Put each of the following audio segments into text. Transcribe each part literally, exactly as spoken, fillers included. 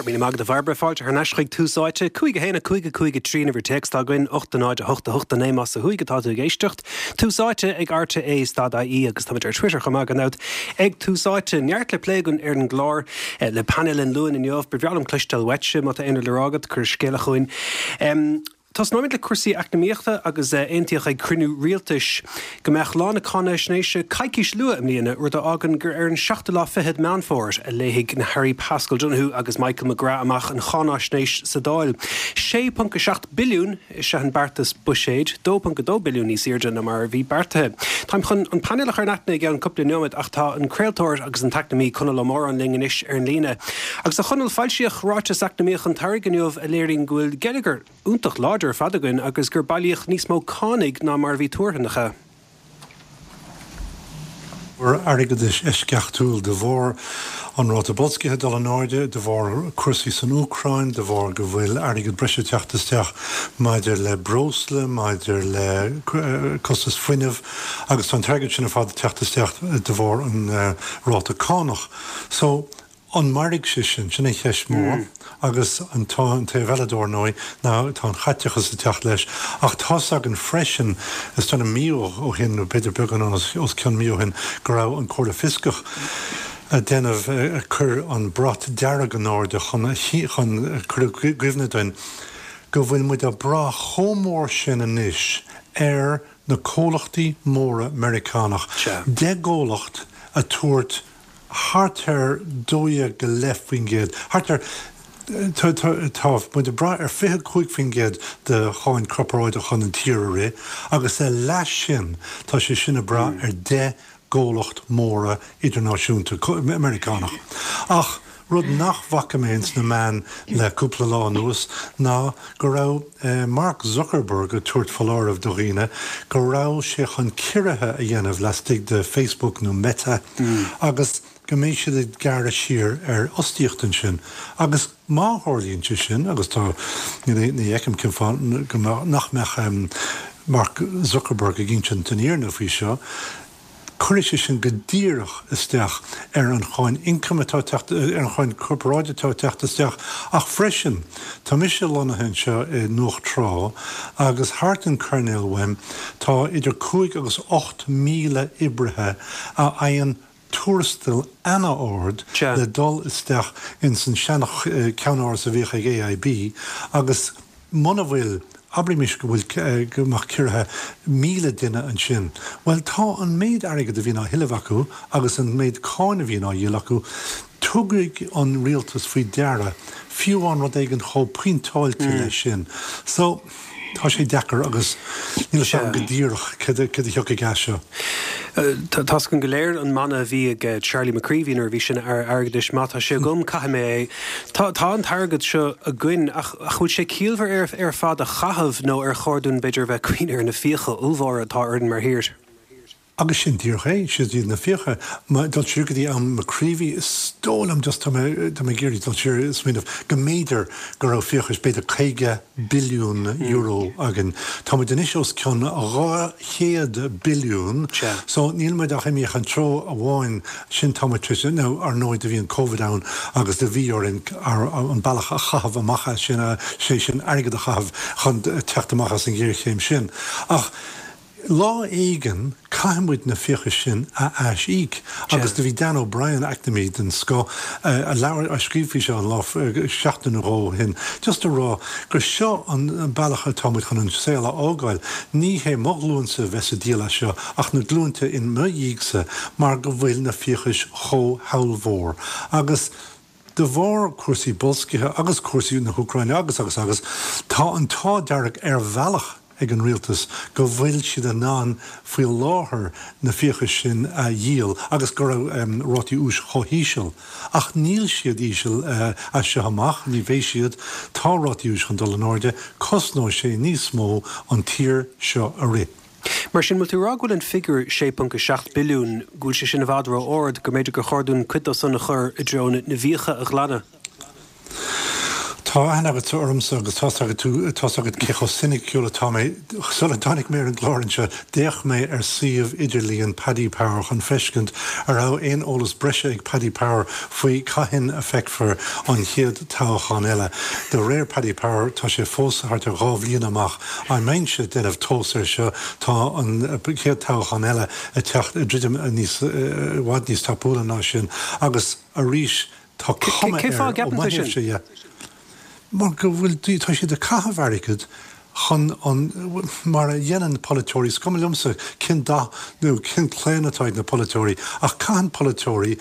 Go raibh míle maith agat a Bhairbre fáilte thar n-ais chuig Tús Áite, cúig a haon a cúig a cúig a trí an uimhir téacs atá againn, ocht a náid a hocht a hocht a naoi más ó thuaidh atá tú ag éisteacht. Tús Áite ag RTÉ stad IE agus táimid ar Twitter chomh maith gan dabht ag Tús Áite. Neart le plé againn ar an gclár le painéal an Luain inniu, ba bhreá liom cloisteáil uaitse má tá aon rud le rá agat, cuir scéala chugainn. Um, Tosnóimid le cúrsaí eacnamaíochta agus aontaíodh ag cruinniú rialtais go mbeadh lá na cáinaisnéise coicís luath i mbliana, rud a fhágann gur ar an seachtú lá fichead Meán Fómhair a léifidh na hAirí Paschal Donohoe agus Michael McGrath amach an cháinaisnéis sa Dáil. Sé ponc a seacht billiún is ea an beartas buiséid, dó ponc a dó billiún níos airde ná mar a bhí beartaithe. Táim chun an painéal a chur in aithne i gceann cúpla nóiméad ach tá an craoltóir agus an t-eacnamaí Conall Ó Móráin linn anois ar an líne. Agus a Chonaill foilsíodh ráiteas eacnamaíoch an tsamhraidh inniu a léiríonn go bhfuil geilleagar iontach láidir ar fad againn agus gur bailíodh níos mó cánach ná mar a bhí tuartha nach ea. airgeadais eisceachtúil de bharr an ráta boilscithe dul in airde, de bharr cúrsaí san Úcráin, de bharr go bhfuil airgead breise teacht isteach maidir le breosla, maidir le costas fuinnimh agus tá an t-airgead sin ar fad teacht isteach de bharr an ráta cánach. So an mairfidh sé sin sin an cheist mhór agus an tá an taobh eile dar ndóigh ná tá an chaiteachas ag teacht leis ach tá againn freisin is dóigh mí ó shin nó b'fhéidir beagán os cionn mí ó shin go raibh an Chomhairle Fioscach ag déanamh ag cur an brat dearg in airde chun chun cur i gcuimhne dúinn go bhfuil muid ag brath chomh mór sin anois ar na comhlachtaí móra Meiriceánach. Deich gcomhlacht ag tabhairt thart ar dó dhéag go leith faoin gcéad, thart ar tá muid ag brath ar fiche cúig faoin gcéad de cháin corparáideach chun an tír a rith, agus a leath sin tá sé sin ag brath ar deich gcomhlacht móra idirnáisiúnta Meiriceánach. Ach rud nach bhfaca mé ins na meáin le cúpla lá anuas ná go raibh Mark Zuckerberg ag tabhairt foláireamh do dhaoine go raibh sé chun ciorruithe a dhéanamh laistigh de Facebook nó Meta agus go mbeidh siad ag gearradh siar ar fhostaíocht ansin. Agus má tharlaíonn sé sin agus tá ní fheicim cén fáth go nach mbeadh Mark Zuckerberg ag insint an fhírinne faoi seo, cuirfidh sé sin go díreach isteach ar an cháin ioncaim atá teacht ar an cháin corparáide atá teacht isteach ach freisin tá mise lonnaithe anseo i nDumhach Trá agus thart an coirnéal uaim tá idir cúig agus ocht míle oibrithe a fhaigheann tuarastal an-ard le dul isteach ins an sean-cheannáras a bhíodh ag AIB agus muna bhfuil abraimis go bhfuil go mbeadh ciorruithe míle duine ansin. Well tá an méid airgead a bhíonn á thuilleamh acu agus an méid cáin a bhíonn á dhíol acu, tabharfaidh an rialtas faoi deara fiú an rud éigin chomh pointeáilte leis sin. So tá sé deacair agus níl sé go díreach cad a thiocfaidh as seo. Tá againn go léir an mana a bhí ag Charlie McCreevy nuair a bhí sin ar airgeadais má tá sé agam caithfidh mé é. Tá tá an t-airgead seo againn ach bhfuil sé ciallmhar ar ar fad a chaitheamh nó ar chóir dúinn b'fhéidir bheith cuimhneamh ar na fiacha ollmhóra atá orainn mar thír. Agus sin díreach é, siad iad na fiacha. Má dul siar go dtí am McCreevy, is dóigh liom just tá mé tá mé ag iarraidh dul siar is smaoineamh go mb'fhéidir go raibh fiachais b'fhéidir caoga billiún euro againn. Tá muid anois os cionn dhá chéad billiún, so níl muid ach imithe an treo amháin sin tá muid tar éis nó ar ndóigh do bhí an Covid ann agus do bhí orainn an bealach a chaitheamh amach as sin, sé sin airgead a chaitheamh chun teacht amach as an ghéarchéim sin. Ach lá éigin caithfidh muid na fiachais sin a aisíoc agus do bhí Dan O'Brien eacnamaí den scoth a labhair a scríobh faoi seo an lá seachtain nó dhó ó shin just a rá gur seo an bealach atá muid chun an saol a fhágáil. Ní hé mo ghlúinsa a bheas ag díol as seo ach na glúinte in mo dhiaidhsa mar go bhfuil na fiachais chomh hollmhór agus de bharr cúrsaí boilscithe agus cúrsaí na hÚcráine agus agus agus tá an t-ádh dearg ar bhealach ag an rialtas go bhfuil siad in ann faoi láthair na fiachais sin a dhíol agus go raibh rátaí úis chomh híseal. Ach níl siad íseal as seo amach, ní bheidh siad, tá rátaí úis chun dul in airde, cosnóidh sé níos mó an tír seo a rith. Mar sin, bhfuil tú ag rá go bhfuil an figiúr sé ponc a seacht billiún, go bhfuil sé sin i bhfad ró-ard, go mb'fhéidir gur chóir dúinn cuid dó san a chur i dtreo na bhfiacha a ghlanadh? Tá aithne agat ormsa agus tá agat tú tá agat cé chomh soiniciúil atá mé sula dtáinig mé ar an gclár anseo d'fhéach mé ar suíomh idirlíon Paddy Power chun feiscint an raibh aon eolas breise ag Paddy Power faoi cathain a feicfear an chéad toghchán eile. De réir Paddy Power tá sé fós thart ar dhá bhliain amach an mbeinnse ag déanamh tomhas air seo tá an chéad toghchán eile ag teacht i druidim níos i bhfad níos tapúla ná sin agus arís tá cuma Cé fáth air ó gceapann tú sin? mo thaobhse dhe. Mar go bhfuil tá siad ag caitheamh airgead chun an mar a dhéanann polaiteoirí, is cuma liomsa cén dath nó cén claonadh atá ag na polaiteoirí, ach caitheann polaiteoirí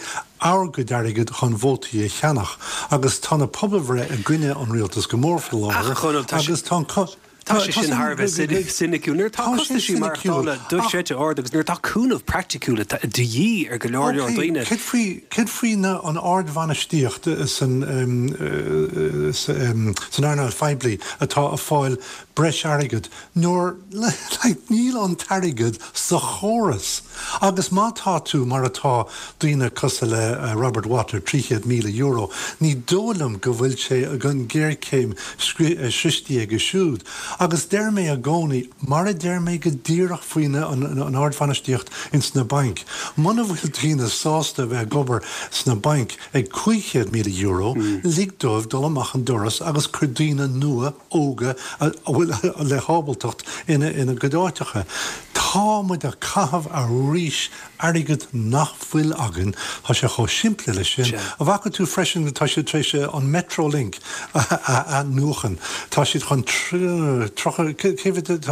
ár gcuid airgead chun vótaí a cheannach, agus tá na pobalbhreith i gcoinne an rialtas go mór faoi láthair Ach, Chonaill, tá sé- agus tá an co- Tá sé sin thar a bheith soiniciúil. Nuair atá Tá sé costaisí soiniciúil, maireachtála dochreidte ard agus nuair atá cúnamh praiticiúil de dhíth ar go leor leor daoine. Céard faoi céard faoi na an ardbhainistíocht san um, uh, san san earnáil phoiblí atá ag fáil breis airgead nuair like, níl an t-airgead sa chóras. Agus má tá tú mar atá daoine cosúil le uh, Robert Watt trí chéad míle euro, ní dóigh liom go bhfuil sé an ghéarchéim sroichte aige siúd. Agus deir mé i gcónaí mar a deir mé go díreach faoina an, an, an ardbhainistíocht ins na bainc. Muna bhfuil daoine sásta bheith ag obair sna bainc ag cúig chéad míle euro, mm. lig dóibh dul amach an doras agus cuir daoine nua óga a bhfuil le hábaltacht ina ina gcuid áiteacha. Tá muid ag caitheamh arís airgead nach bhfuil againn tá sé chomh simplí leis sin. An bhfaca tú freisin tá siad tar éis an Metrolink a athnuachan. Tá siad chun tá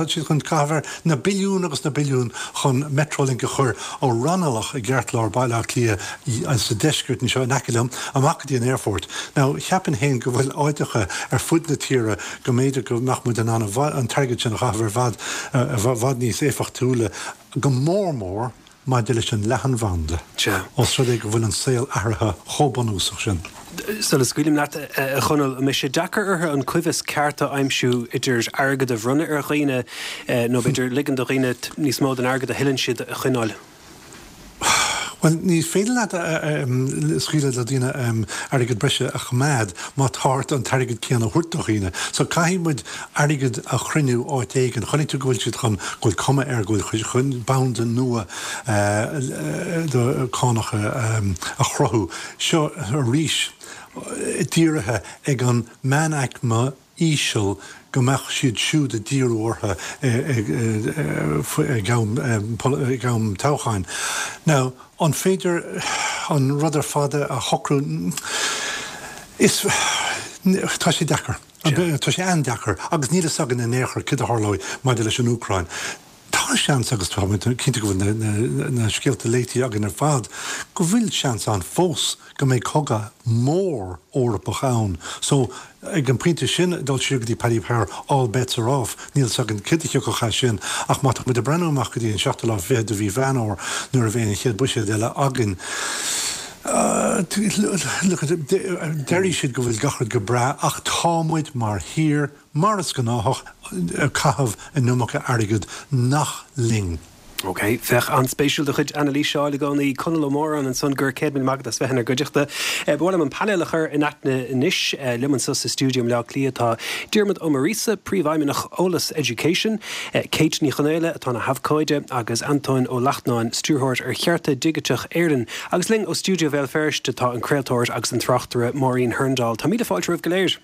siad chun caitheamh na billiún agus na billiún chun Metrolink a chur ó Raghnallach i gceartlár Baile Átha Cliath sa deisceart anseo in aice liom amach go dtí an airport. Now cheapfainn féin go bhfuil áiteacha ar fud na tíre go mb'fhéidir go mbeadh muid an an t-airgead sin a chaitheamh ar fad bhfad níos éifeachtúla go mór mór maidir leis an leathanbhanda. Os rud é go bhfuil an saol athraithe chomh bunúsach sin. Sula scaoilim leat a Chonaill mbeidh sé deacair orthu an coibhéis ceart a aimsiú idir airgead a bhronnadh ar dhaoine nó b'fhéidir ligean do dhaoine níos mó den airgead a thuilleann siad a choinneáil. Well ní féidir leat scaoileadh le daoine airgead breise a choimeád má tá ort an t-airgead céanna a thabhairt do dhaoine. So caithfidh muid airgead a chruinniú áit éigin, chonaic tú go bhfuil siad chun go bhfuil cuma air go bhfuil chun banda nua do cánacha a chruthú. Seo arís dírithe ag an meánaicme íseal go mbeadh siad siúd ag díriú orthu ag am toghcháin. Now, an féidir an rud ar fad a shocrú is tá sé deacair. Tá sé an-deacair agus níl a fhios againn in aon chor cad a tharlóidh maidir leis an Úcráin. Tá seans agus tá cinnte go bhfuil na scéalta léite againn ar fad, go bhfuil seans ann fós go mbeidh cogadh mór Eorpach ann. So ag an pointe sin dul siar go dtí Paddy Power all bets are off, níl a fhios againn cad a thiocfadh as sin ach má tá muid ag breathnú amach go dtí an seachtú lá fichead de mhí Mheán Fómhair nuair a bheidh an chéad buiséad eile againn. Deir siad go bhfuil gach rud go breá ach tá muid mar thír mar is gnáthach ag caitheamh an iomarca airgead nach linn. Ok, féach an-spéisiúil do chuid anailíse i gcónaí Conall Ó Móráin ansan go raibh céad míle maith agat as bheith inár gcuideachta. Ba mhaith liom an painéal a chur in aithne anois liom anseo sa stiúideo i mBleá Cliath tá Diarmuid Ó Muiríosa, Príomhfheidhmeannach Eolas Education, Kate Ní Chonaola atá ina habhcóide agus Antóin Ó Lachtnáin, stiúrthóir ar Chearta Digiteach Éireann, agus linn ó stiúideo Bhéal Feirste tá an craoltóir agus an tráchtaire Máirín Hurndall. Tá míle fáilte romhaibh go léir.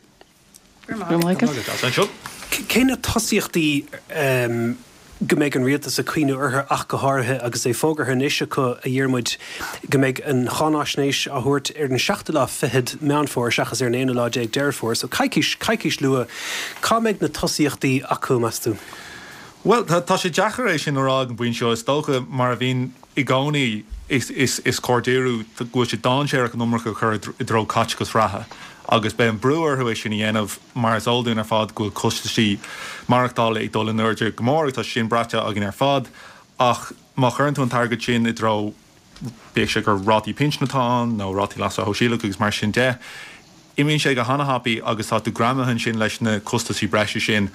Cé na tosaíochtaí um, go mbeidh an rialtas ag cuimhneamh orthu ach go háirithe agus é fógartha anois acu a Dhiarmuid go mbeidh an cháinaisnéis á thabhairt ar an seachtú lá fichead Meán Fómhair seachas ar an aonú lá déag Deireadh Fómhair, so coicís coicís luath cá mbeidh na tosaíochtaí acu meas tú? Well tá sé deacair é sin a rá ag an bpointe seo is dócha mar a bhíonn i gcónaí is is is cóir díriú go bhfuil sé dainséarach an iomarca a chur i dtreo caiteachas reatha. agus beidh an brú orthu é sin a dhéanamh mar is eol dúinn ar fad go bhfuil costaisí maireachtála ag dul in airde go mór tá sin braite againn ar fad ach má chuireann tú an t-airgead sin i dtreo bíodh sé gur rátaí pinsin atá ann nó rátaí leasa shóisialaigh agus mar sin de. Imíonn sé go han-thapaidh agus tá tú greamaithe ansin leis na costaisí breise sin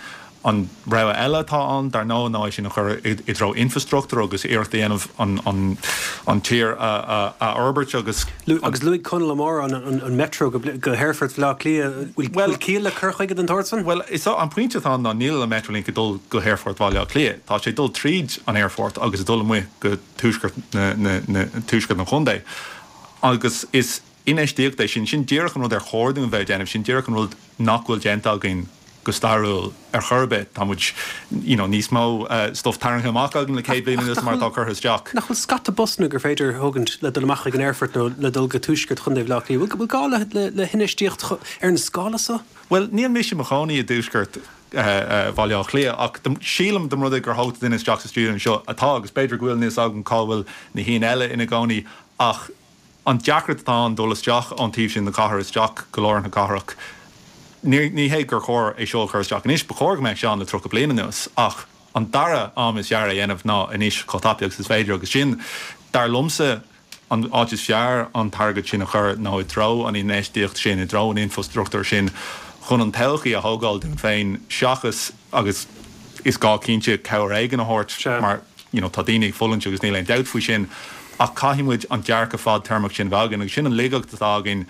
An rogha eile atá ann, dar ndóigh, ná é sin a chur i dtreo infrastruchtúr agus iarracht a dhéanamh an tír a fhorbairt agus. Agus luaigh Conall Ó Móráin an Metro go hAerfort Bhaile Átha Cliath. Bhfuil ciall le cur chuige den tsórt san? Bhuel, is an pointe atá ann ná níl an Metrolink ag dul go hAerfort Bhaile Átha Cliath. Tá sé ag dul tríd an aerfort agus ag dul amuigh go tuaisceart tuaisceart an chontae. Agus is infheistíocht é sin. Sin díreach an rud ar chóir dúinn bheith ag déanamh. Sin díreach an rud nach bhfuil déanta againn go stairiúil ar chor ar bith. Tá muid you know níos mó stuff tarraingthe amach againn le céad bliain anuas mar atá curtha isteach. Nach bhfuil scata busanna gur féidir a thógaint le dul amach chuig an aerfort nó le dul go tuaisceart Chontae Bhaile Átha Cliath? Bhfuil gá le le hinfheistíocht ar an scála seo? Bhuel, níl mise i mo chónaí i dtuaisceart Bhaile Átha Cliath ach sílim dá mba rud é gur thóg duine isteach sa stiúideo anseo atá agus b'fhéidir go bhfuil níl a fhios agam cá bhfuil na haoinne eile ina gcónaí ach an deacracht atá ann dul isteach ón taobh sin na cathrach isteach go lár na cathrach. Ní ní hé gur chóir é seo a chur isteach anois, ba chóir go mbeadh sé ann le tríocha bliain anuas, ach an dara am is fearr é a dhéanamh ná anois chomh tapaidh agus is féidir agus sin, dar liomsa, an áit is fearr an t-airgead sin a chur ná i dtreo an infheistíocht sin, i dtreo an infrastruchtúir sin chun an todhchaí a thógáil dúinn féin seachas, agus is gá cinnte cabhair éigin a thabhairt mar you know tá daoine ag fulaingt agus níl aon dabht faoi sin ach caithfidh muid an dearcadh fadtéarmach sin a bheith againn agus sin an laigeacht atá againn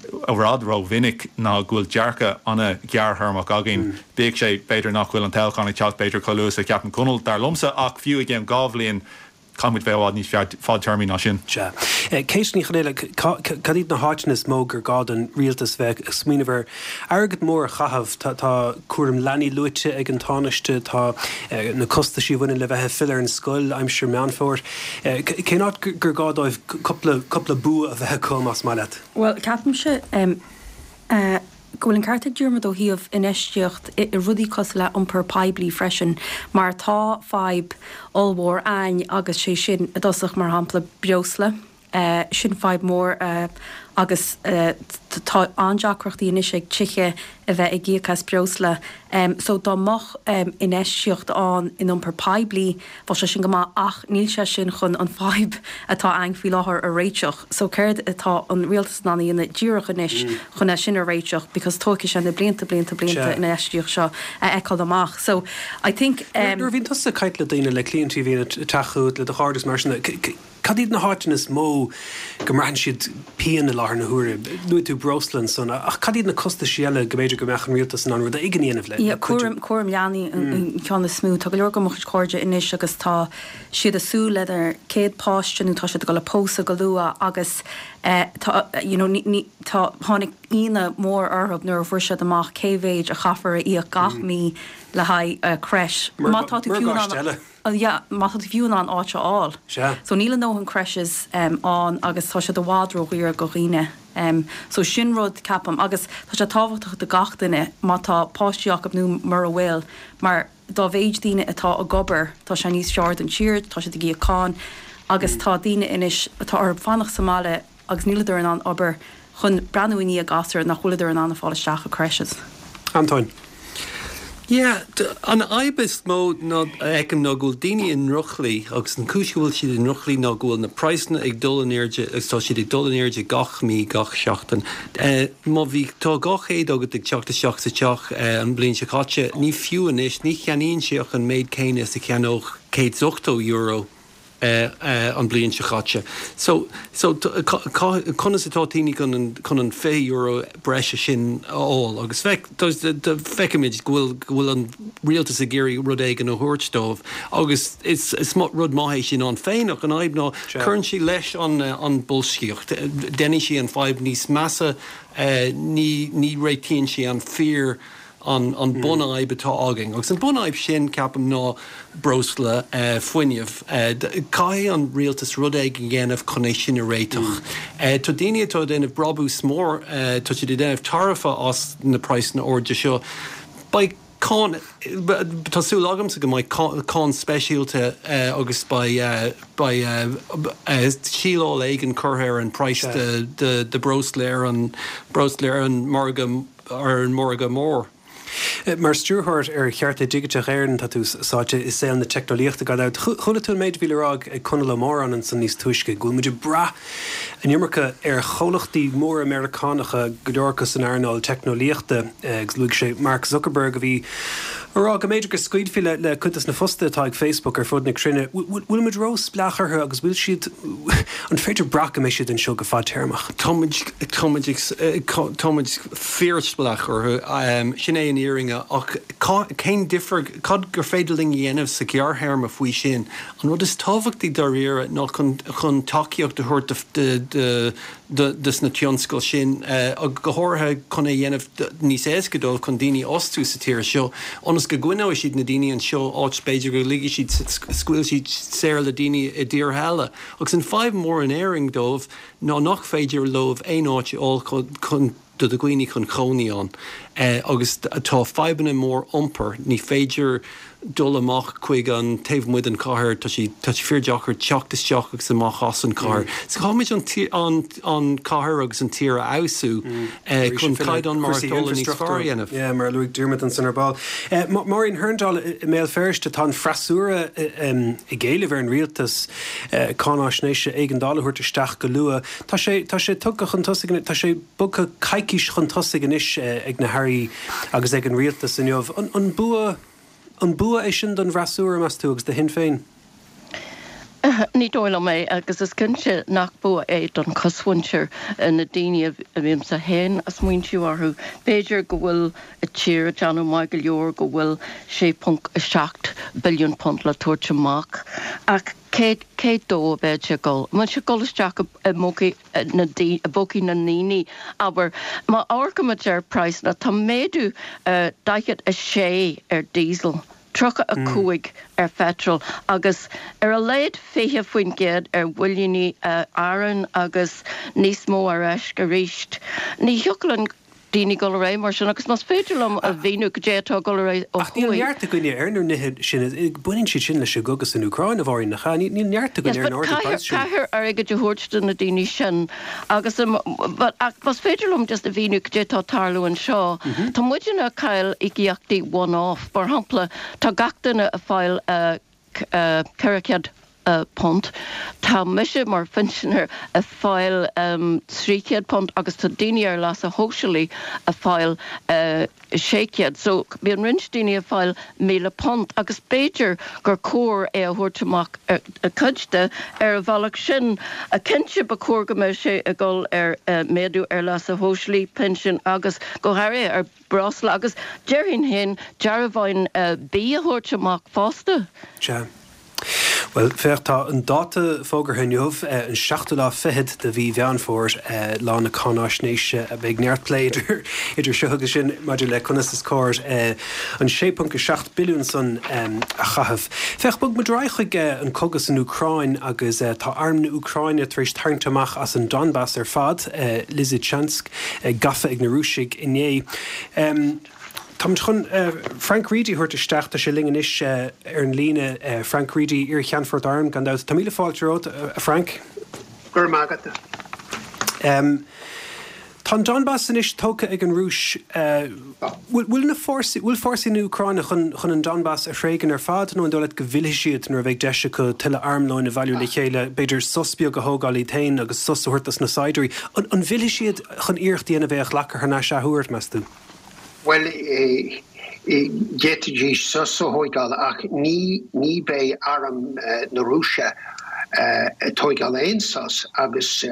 i bhfad rómhinic ná go bhfuil dearcadh an-ghearrthéarmach againn. Bíodh sé, b'fhéidir nach bhfuil an toghchán ag teacht b'fhéidir chomh luath is a cheapann Conall, dar liomsa, ach fiú i gceann dhá bhliain, Caithfidh muid bheith i bhfad níos fadtéarmaí ná sin. Sea. Kate Ní Chonghaile, cad iad na háiteanna is mó gur gá don rialtas bheith ag smaoineamh ar airgead mór a chaitheamh? Tá cúram leanaí luaite ag an Tánaiste, tá na costaisí a bhaineann le bheith ag filleadh ar an scoil aimsir Meán Fómhair. Cén áit gur gá dóibh cúpla bua a bheith acu, más maith leat? Bhuel, ceapaimse go bhfuil an ceart ag Diarmuid ó thaobh infheistíocht i rudaí cosúil le iompar poiblí freisin mar tá fadhb ollmhór a'ainn agus sé sin i dtosach mar shampla breosla, sin fadhb mhór agus tá an-deacrachtaí anois ag tithe a bheith ag íoc as breosla so dá mbeadh infheistíocht ann in iompar poiblí bheadh sé sin go maith ach níl sé sin chun an fadhb atá a'ainn faoi láthair a réiteach. So céard atá an rialtas in ann a dhéanamh díreach anois chun é sin a réiteach because tógfaidh sé na blianta, blianta, blianta an infheistíocht seo a fheiceáil amach. So I think. Nuair a bhíonn tusa ag caint le daoine, le cliaint a bhíonn ag teacht chugat, le do chairde is mar sin de, cad iad na háiteanna is mó go mbraitheann siad pian i láthair na huaire? Luaigh tú breosla ansan, ach cad iad na costaisí eile go mb'fhéidir go mbeadh an rialtas in ann rud éigin a dhéanamh le cuidiú? Cúram, cúram leanaí an ceann is mó. Tá go leor de mo chuid cairde anois agus tá siad ag súil lena gcéad páiste nó tá siad ag dul a pósadh go luath agus tá, you know, ní, ní, tá, tháinig ionadh mór orthu nuair a fuair siad amach cé mhéid a chaithfear a íoc gach mí le haghaidh crèche. Má tá tú fiú in ann. Yeah, má tá tú fiú in ann áit a fháil. Sea. So níl a ndóthain crèches ann agus tá siad i bhfad ródhaor do dhaoine. So sin rud, ceapaim, agus tá sé tábhachtach do gach duine má tá páistí acu nó mura bhfuil, mar dá mhéid daoine atá ag obair, tá sé níos fearr don tír, tá siad ag íoc cáin agus tá daoine anois atá orthu fanacht sa mbaile agus níleadar in ann obair chun breathnú i ndiaidh gasúir nach bhfuileadar in ann a fháil isteach i crèches. Antóin. Yeah, an fhadhb is mó ná a fheicim ná go bhfuil daoine i ndrochshlí agus an chúis go bhfuil siad i ndrochshlí ná go bhfuil na praghsanna ag dul in airde agus tá siad ag dul in airde gach mí, gach seachtain. Má bhí, tá dhá chéad agat ag teacht isteach sa teach an bhliain seo caite, ní fiú anois, ní cheannaíonn sé ach an méid céanna is a cheannódh céad is ochtó euro. an bhliain seo caite. So, so conas atá daoine chun an, chun an fiche euro breise sin a fháil? Agus feic, feicimid go bhfuil, go bhfuil an rialtas ag iarraidh rud éigin a thabhairt dóibh agus is, is rud maith é sin ann féin ach an fhadhb ná cuireann sé leis an, an boilscíocht. Déanann sé an fadhb níos measa, ní, ní réitíonn sé an fíor an an bunfhadhb atá againn. Agus an bunfhadhb sin, ceapaim, ná breosla, fuinneamh. Caithfidh an rialtas rud éigin a dhéanamh chun é sin a réiteach. Tá daoine atá ag déanamh brabús mór, tá siad ag déanamh tairbhe as na praghsanna arda seo. Beidh cáin, tá súil agamsa go mbeidh cáin speisialta agus beidh beidh síleáil éigin curtha ar an praghas de de breosla ar an breosla ar an margadh ar an margadh mór. Mar Stiúrthóir ar Chearta Digiteach Éireann, tá tú sáite i saol na teicneolaíochta gan dabht. Chuala tú an méid a bhí le rá ag Conall Ó Móráin ansan níos túisce, go bhfuil muid ag brath an iomarca ar chomhlachtaí móra Meiriceánacha, go leor acu san earnáil teicneolaíochta, agus luaigh sé Mark Zuckerberg a bhí A rá go mb'fhéidir go scaoilfí le le cuid des na fostaithe atá ag Facebook ar fud na cruinne. Bhfuil muid ró-spleách orthu agus bhfuil siad an féidir brath go mbeidh siad anseo go fadtéarmach? Táimid táimid táimid fíorspleách orthu sin é an fhírinne ach cén difear cad gur féidir linn a dhéanamh sa ghearrthéarma faoi sin. An rud is tábhachtaí dáiríre ná chun chun tacaíocht a thabhairt de de de de na tionscail sin go háirithe chun é dhéanamh níos éasca dóibh chun daoine a fhostú sa tír seo ionas go gcoinneoidh siad na daoine anseo áit b'fhéidir go ligfidh siad scaoil siad saor le daoine i dtíortha eile. Agus an fadhb mór in Éirinn dóibh ná nach féidir leo aon áit a fháil chun do do dhaoine chun cónaí ann. Agus tá fadhbanna mór iompair, ní féidir dul amach chuig an taobh amuigh den chathair, tá sé tá sé fíordeacair teacht isteach agus amach as an chathair. So caithfimid an an chathair agus an tír a fheabhsú chun caighdeán maireachtála níos fearr a dhéanamh. Yeah, mar a luaigh Diarmuid ansan ar ball. Máirín Hurndall i mBéal Feirste, tá an freasúra ag éileamh ar an rialtas cáinaisnéise éigeandála a thabhairt isteach go luath. Tá sé tá sé tugtha chun tosaigh, tá sé bogtha coicís chun tosaigh anois ag na hairí agus ag an rialtas inniu. An bua An bua é sin don bhfreasúra, meas tú, agus do Shinn Féin? Ní dóigh liom é, agus is cinnte nach bua é don chosmhuintir, na daoine a bhímse féin ag smaointiú orthu. B'fhéidir go bhfuil an tír ag déanamh maith go leor, go bhfuil sé ponc a seacht billiún punt le tabhairt amach, ach cé cé dó a bheidh sé ag dul? An bhfuil sé ag dul isteach i bpócaí na i bpócaí na ndaoine? Abair, má amharcaimid ar praghsanna, tá méadú daichead a sé ar diesel, tríocha a cúig ar pheitreal agus ar a laghad fiche faoin gcéad ar bhuilíní aráin agus níos mó ar éisc arís. Ní thiocfadh linn daoine dul ar aghaidh mar sin agus más féidir liom a mhíniú cad é atá ag dul ar aghaidh ó Ach níl thuaidh. neart againne ar na nithe sin, baineann siad sin leis an gcogadh san Úcráin, a Mháirín, nach ea? Níl neart againne Yes, ar an but ardú caithfear, praghas sin. caithfear airgead a thabhairt do na daoine sin agus but ach más féidir liom just a mhíniú cad é atá ag tarlú anseo, tá muidne ag cailleadh íocaíochtaí one-off. Mar shampla, tá gach duine ag fáil ceithre chéad punt. Tá mise mar phinsinéir ag fáil trí chéad punt agus tá daoine ar leasa shóisialaigh ag fáil sé chéad. So bíonn roinnt daoine ag fáil míle punt agus b'fhéidir gur chóir é a thabhairt amach cuid de ar an bhealach sin. Cinnte ba chóir go mbeadh sé ag dul ar méadú ar leasa shóisialaigh, pinsin agus go háirithe ar breosla agus déarfainn féin dearbháin bídh a thabhairt amach fosta. Sea. Bhuel, féach, tá an dáta fógartha inniu, an seachtú lá fichead de mhí Mheán Fómhair, lá na cáinaisnéise. Beidh neart plé idir idir seo agus sin maidir le conas is cóir an sé ponc a seacht billiún san a chaitheamh. Féach, bog muid ar aghaidh chuig an cogadh san Úcráin agus tá arm na Úcráine tar éis tarraingt amach as an Donbass ar fad, Lysychansk gafa ag na Rúisigh inné. Táimid chun Frank Reidy a thabhairt isteach, tá sé linn anois ar an líne. Frank Reidy, iar-cheannfort airm, gan dabht. Tá míle fáilte romhat, a Frank. Go raibh maith agat. Tá an Donbass anois tógtha ag an Rúis. Bhfuil na fórsaí, bhfuil fórsaí na Úcráine chun chun an Donbass a thréigean ar fad nó an dóigh leat go bhfillfidh siad nuair a bheidh deis acu tuilleadh armlóin a bhailiú le chéile, b'fhéidir sos beag a thógáil iad féin agus sos a thabhairt dos na saighdiúirí? An bhfillfidh siad chun iarracht a dhéanamh é a ghlacadh thar n-ais athuair, meas tú? Bhuel, d'fhéadfaidís sos a thóigeáil ach ní ní bheidh arm na Rúise ag tóigeáil aon sos agus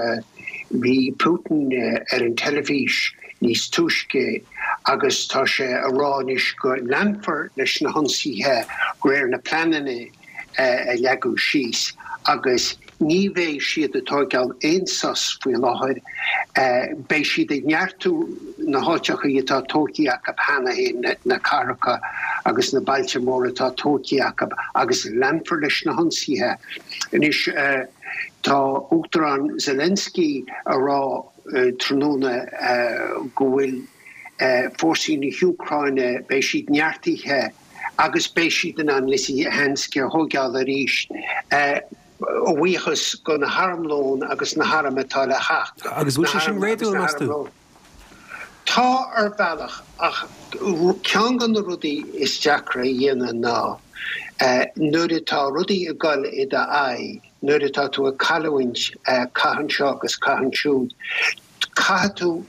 bhí Putin ar an teilifís níos túisce agus tá sé a rá anois go leanfar leis na hionsaithe de réir na pleananna a leagadh síos agus ní bheidh siad ag tóigeáil aon sos faoi láthair. Beidh siad ag neartú na háiteacha atá tógtha acu cheana féin, na cathracha agus na bailte móra atá tógtha acu agus leanfar leis na hionsaithe. Anois tá Uachtarán Zelensky a rá tráthnóna go bhfuil fórsaí na hÚcráine, beidh siad neartaithe agus beidh siad in ann Lysychansk a thóigeáil arís, a bhuíochas go na harmlón agus na hairm atá le theacht. Agus bhfuil sé sin réadúil, meas tú? Tá, ar bhealach, ach ceann de na rudaí is deacra a dhéanamh ná nuair atá rudaí ag dul i d'aghaidh, nuair atá tú ag cailliúint cath anseo agus cath ansiúd, caithfidh tú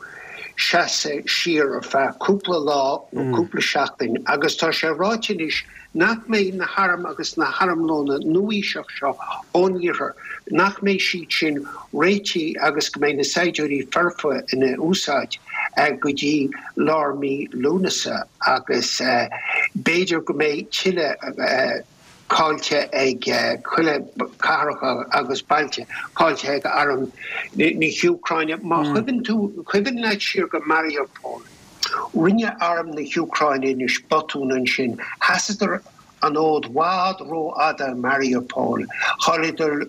seasamh siar ar feadh cúpla lá nó cúpla seachtain agus tá sé ráite anois nach mbeidh na hairm agus na harmlóna nua-aoiseach seo ón iarthar, nach mbeidh siad sin réitithe agus go mbeidh na saighdiúirí foirfe ina úsáid go dtí lár mí Lúnasa agus b'fhéidir go mbeidh tuilleadh caillte ag tuilleadh cathracha agus bailte caillte ag arm na hÚcráine. Má chuimhin tú, cuimhin leat siar go Mariupol, rinne arm na hÚcráine anois botún ansin, sheasadar an fhód i bhfad rófhada i Mariupol, chailleadar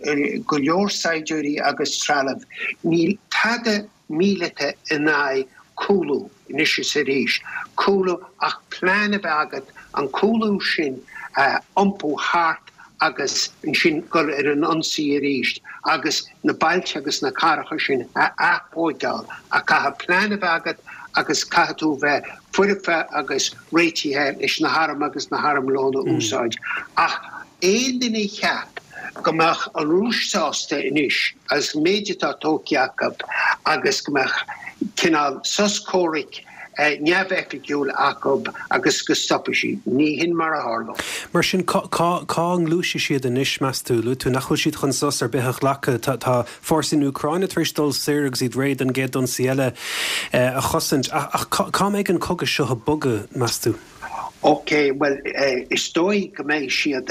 go leor saighdiúirí agus trealamh. Níl tada míleata in aghaidh cúlú anois is arís, cúlú ach plean a bheith agat an cúlú sin a iompú thart agus ansin dul ar an ionsaí arís agus na bailte agus na cathracha sin a aththóigeáil. Ach caithfidh plean a bheith agat agus caithfidh tú bheith foirfe agus réitithe leis na hairm agus na harmlón a úsáid. Ach aon duine a cheap go mbeadh an Rúis sásta anois as an méid atá tógtha acu agus go mbeadh cineál sos comhraic neamhoifigiúil acu agus go stopfaidh siad, ní hin mar a tharlóidh. Mar sin, cá ngluaisfidh siad anois, meas tú? Luaigh tú nach bhfuil siad chun sos ar bith a ghlacadh. Tá fórsaí na Úcráine tar éis dul soir agus iad réidh don gcéad ionsaí eile a chosaint. Ach cá mbeidh an cogadh seo ag bogadh, meas tú? Ok, bhuel, is dóigh go mbeidh siad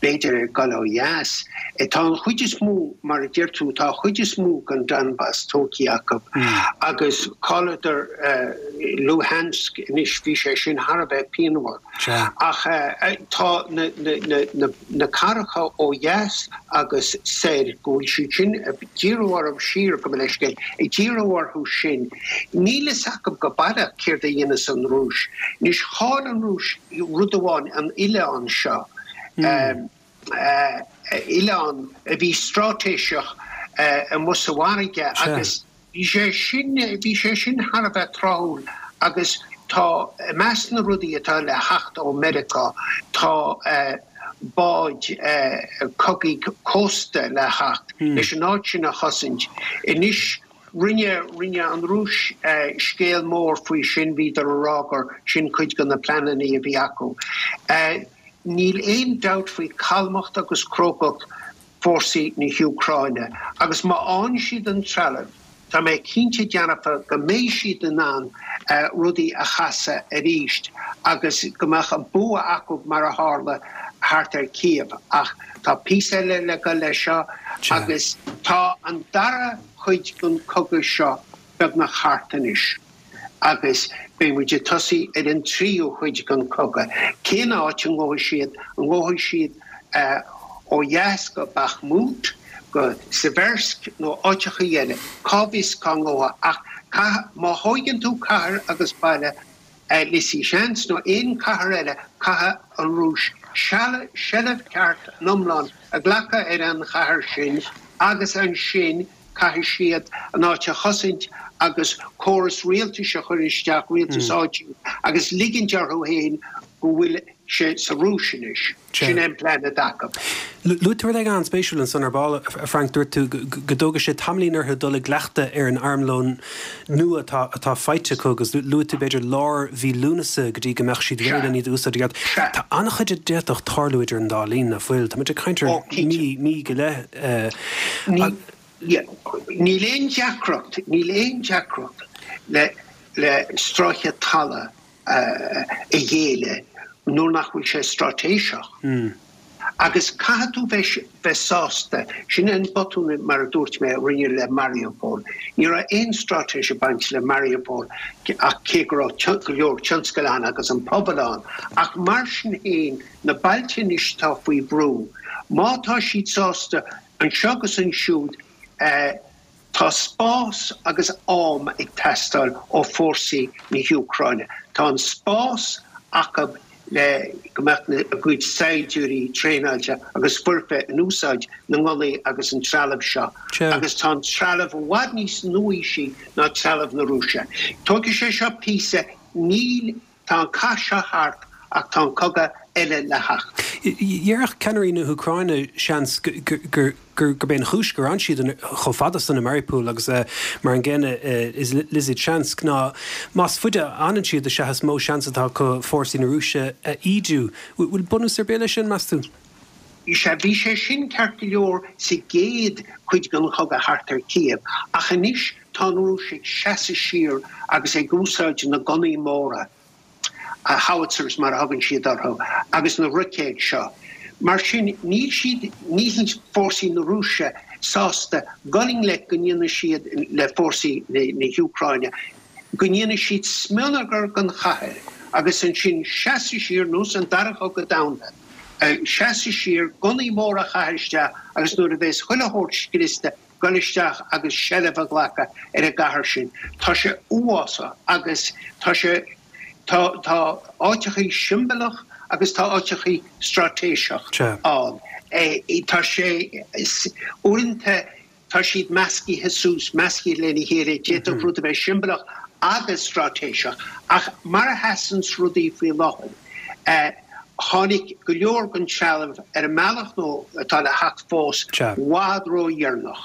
b'fhéidir ag dul ó dheas. Tá an chuid is mó, mar a deir tú, tá an chuid is mó den Donbas tógtha acu agus chailleadar Luhansk anois, bhí sé sin thar a bheith pianmhar. Ach tá na cathracha ó dheas agus soir, go bhfuil siad sin ag díriú orthu siar, gabh mo leithscéal, ag díriú orthu sin, níl fhios acu go baileach céard a dhéanfas an Rúis. Anois, chaill an Rúis rud amháin, an oileán seo, oileán a bhí straitéiseach amuigh sa bhfarraige agus bhí sé sin, bhí sé sin thar a bheith tráthúil agus tá, i measc na rudaí atá le theacht ó Meiriceá, tá báid cogaidh cósta le theacht leis an áit sin a chosaint. Anois, Rinne, rinne an Rúis scéal mór faoi sin, bhíodar a rá gur sin cuid de na pleananna a bhí acu. Níl aon dabht faoi calmacht agus crógacht fórsaí na hÚcráine agus má fhaigheann siad an trealamh, tá mé cinnte dearfa go mbeidh siad in ann rudaí a chasadh arís agus go mbeadh an bua acu mar a tharla thart ar Kiev. Ach tá píosa eile le dul leis seo agus tá an dara cuid den chogadh seo beagnach thart anois agus beidh muid ag tosaí ar an tríú cuid den chogadh. Cén áit a ngabhfaidh siad? An ngabhfaidh siad ó dheas go Bakhmut, go Siversk nó áiteachaí eile? Cá bhfios cá ngabhfaidh ach caith, má thóigeann tú cathair agus baile Lysychansk nó aon chathair eile, caithfidh an Rúis seilbh ceart iomlán a ghlacadh ar an chathair sin agus ansin caithfidh siad an áit a chosaint agus córas rialtais a chur isteach, rialtas áitiúil, agus ligint orthu féin go bhfuil sé sa Rúis anois. Sin é an plean atá acu. Luaigh tú rud éigin an-spéisiúil ansan ar ball, a Frank, dúirt tú go dtógfaidh sé tamaillín orthu dul i gcleachtadh ar an armlón nua atá atá faighte acu agus luaigh tú b'fhéidir lár mhí Lúnasa go dtí go mbeadh siad réidh len iad a úsáid i gceart. Tá an-chuid a d'fhéadfadh tarlú idir an dá linn, nach bhfuil? Tá muid ag caint ar mhí, mí go leith. Níl aon deacracht, níl aon deacracht le le stráice talaimh a ghéilleadh nuair nach bhfuil sé straitéiseach. Agus caithfidh tú bheith bheith sásta, sin an botún mar a dúirt mé a rinneadh le Mariupol. Ní raibh aon straitéis ag baint le Mariupol ach cé go raibh go leor tionscail ann agus an pobal ann. Ach mar sin féin, na bailte anois atá faoi bhrú, má tá siad sásta anseo agus ansiúd, Tá spás agus am ag teastáil ó fórsaí na hÚcráine. Tá an spás acu le go mbeadh a gcuid saighdiúirí traenáilte agus foirfe in úsáid na ngunnaí agus an trealamh seo. Agus tá an trealamh i bhfad níos nuaaoisí ná trealamh na Rúise. Tógfaidh sé seo píosa, níl, tá an cath seo thart ach tá an cogadh eile le theacht. Déarfadh ceannairí na hÚcráine seans gur gurb é an chúis gur fhan siad chomh fada san i Mariupol agus mar an gcéanna is Lysychansk ná más faide a fhanann siad is ea is mó seans atá acu fórsaí na Rúise a ídiú. Bhfuil bunús ar bith leis sin, meas tú? Sea, bhí sé sin ceart go leor sa gcéad chuid den chogadh thart ar Kiev, ach anois tá an Rúis ag seasamh siar agus ag úsáid na gunnaí móra, howitzers mar a thugann siad orthu, agus na roicéid seo. Mar sin, níl siad, níl fórsaí na Rúise sásta dul i ngleic go ndéanfaidh siad le fórsaí na hÚcráine, go ndéanfaidh siad smionagar den chathair agus ansin seasamh siar nós an Dara Cogadh Domhanda, seasamh siar, gunnaí móra a chaitheamh isteach agus nuair a bheas chuile shórt scriosta, dul isteach agus seilbh a ghlacadh ar an gcathair sin. Tá sé uafásach agus tá sé, tá, tá áiteachaí siombalach agus tá áiteachaí straitéiseach ann. Tá sé, uaireanta tá siad meascaithe suas, meascaithe lena chéile, d'fhéadfadh rud a bheith siombalach agus straitéiseach ach mar a sheasanns rudaí faoi láthair, tháinig go leor den trealamh ar an mbealach nó atá le theacht fós i bhfad ródheireanach.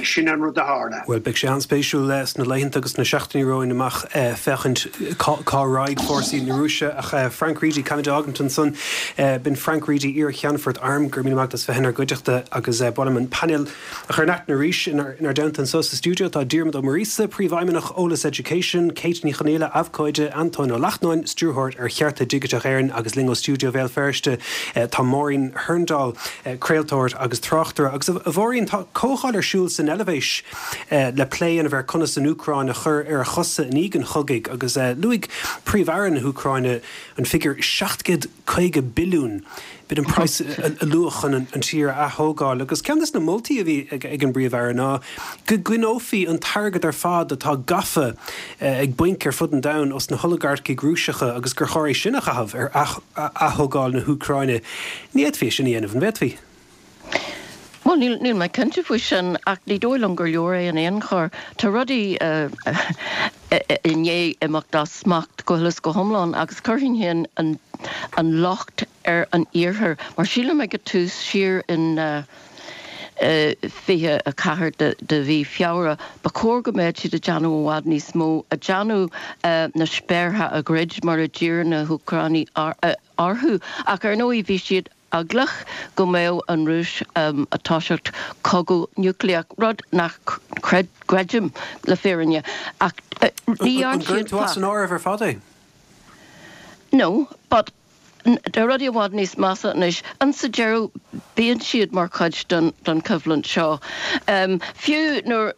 Sin an rud a tharla. Bhuel, beidh sé an-spéisiúil sna laethanta agus sna seachtainí romhainn amach féachaint cá raghaidh fórsaí na Rúise. Ach Frank Reidy, caithfimid a fhágaint ansan. B'in Frank Reidy, iar-Cheannfort Airm, go raibh míle maith agat as bheith inár gcuideachta agus ba mhaith liom an painéal a chur in aithne arís. Inár dteannta anso sa stiúideo tá Diarmuid Ó Muiríosa, Príomhfheidhmeannach Eolas Education, Kate Ní Chonaola, Abhcóide, Antóin Ó Lachtnáin, Stiúrthóir ar Chearta Digiteach Éireann agus linn ó stiúideo Bhéal Feirste tá Máirín Hurndall, craoltóir agus tráchtaire. Agus a Mháirín, tá comhdháil ar siúl san Eilvéis le plé a dhéanamh ar conas an Úcráin a chur ar a chosa i ndiaidh an chogaidh agus luaigh Príomh-Aire na hÚcráine an figiúr seacht gcéad caoga billiún, b'in an praghas a luadh chun an tír a ath-thógáil. Agus ceann de na moltaí a bhí ag an bPríomh-Aire ná go gcoinneofaí an t-airgead ar fad atá gafa ag bainc ar fud an domhain os na holagarcaigh Rúiseacha agus gur chóir é sin a chaitheamh ar ath-thógáil na hÚcráine. Ní fhéadfaí é sin a dhéanamh, an bhféadfaí? Bhuel, níl, níl mé cinnte faoi sin, ach ní dóigh liom gur leor é in aon chor. Tá rudaí i ndiaidh imeacht as smacht go huile is go hiomlán agus chuirfinn féin an, an locht ar an Iarthar, mar sílim ag an tús siar in fiche a ceathair de, de mhí Feabhra, ba chóir go mbeadh siad ag déanamh i bhfad níos mó, ag déanamh na spéartha a dhruid mar a d'iarr na hÚcránaigh orthu. Ach ar ndóigh bhí siad eaglach go mbeadh an Rúis ag toiseacht cogadh núicléach, rud nach gcreidim le fírinne, ach ní dhearn siad. An gcuireann tú as an áireamh ar fad é? No, but tá rudaí i bhfad níos measa anois. And sa deireadh bíonn siad mar chuid den den choimhlint seo. Fiú nuair,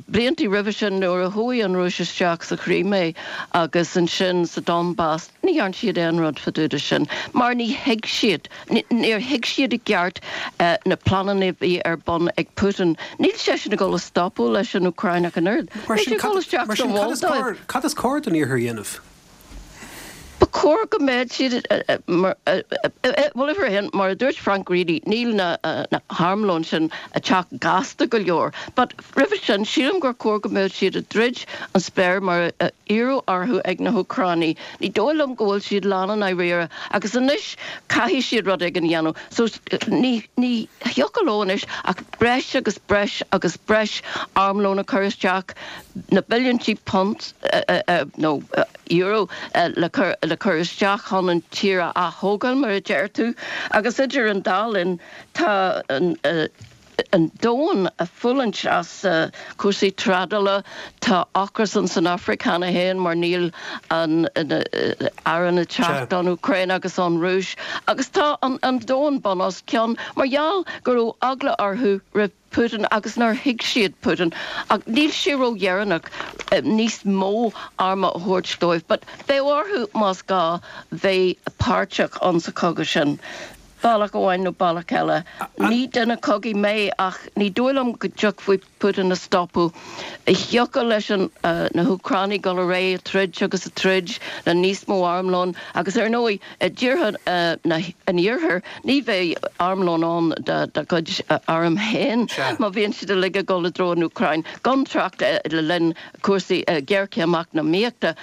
bliantaí roimhe sin nuair a chuaigh an Rúis isteach sa Chrimé agus ansin sa Donbas, Ní dhearn siad aon rud fá dtaobh de sin mar ní thuig siad, níor thuig siad i gceart na pleananna a bhí ar bun ag Putin. Níl seisean ag dul a stopadh leis an Úcráin ach an oiread. Mar Beidh sin, sé ag dul isteach mar sa sin cad is Mholdóiv. cóir, cad is cóir don Iarthar a dhéanamh? Ba chóir go mbeadh siad, bhuel, uimhir a haon, mar a dúirt Frank Reidy, níl na harmlóin sin ag teacht gasta go leor. But roimhe sin, sílim gur chóir go mbeadh siad ag druid an spéir mar a iarradh orthu ag na hÚcránaigh. Ní dóigh liom go bhfuil siad lán i ndáiríre agus anois caithfidh siad rud éigin a dhéanamh. So ní ní thiocfadh leo anois ach breis agus breis agus breis armlón a chur isteach, na billiúintí punt nó euro le cur le cur isteach chun an tír a ath-thógáil mar a deir tú. Agus idir an dá linn tá an an domhan ag fulaingt as cúrsaí trádála. Tá ocras ann san Afraic cheana féin mar níl an arán ag teacht ón Úcráin agus ón Rúis. Agus tá an domhan bun os cionn mar gheall go raibh eagla orthu roimh Putin agus nár thuig siad Putin. Ach níl sé ródheireanach níos mó arm a thabhairt dóibh. But beidh orthu, más gá, bheith páirteach ann sa chogadh sin. Bealach amháin nó bealach eile. Ní duine cogaidh mé ach ní dóigh liom go dtiocfaí Putin a stopadh. Thiocfadh leis an na hÚcránaigh dul ar aghaidh ag troid agus ag troid le níos mó armlón agus ar ndóigh i dtíortha an Iarthair ní bheidh armlón ann dá gcuid arm féin má bhíonn siad uilig ag dul i dtreo an Úcráin, gan trácht le linn cúrsaí géarchéim eacnamaíochta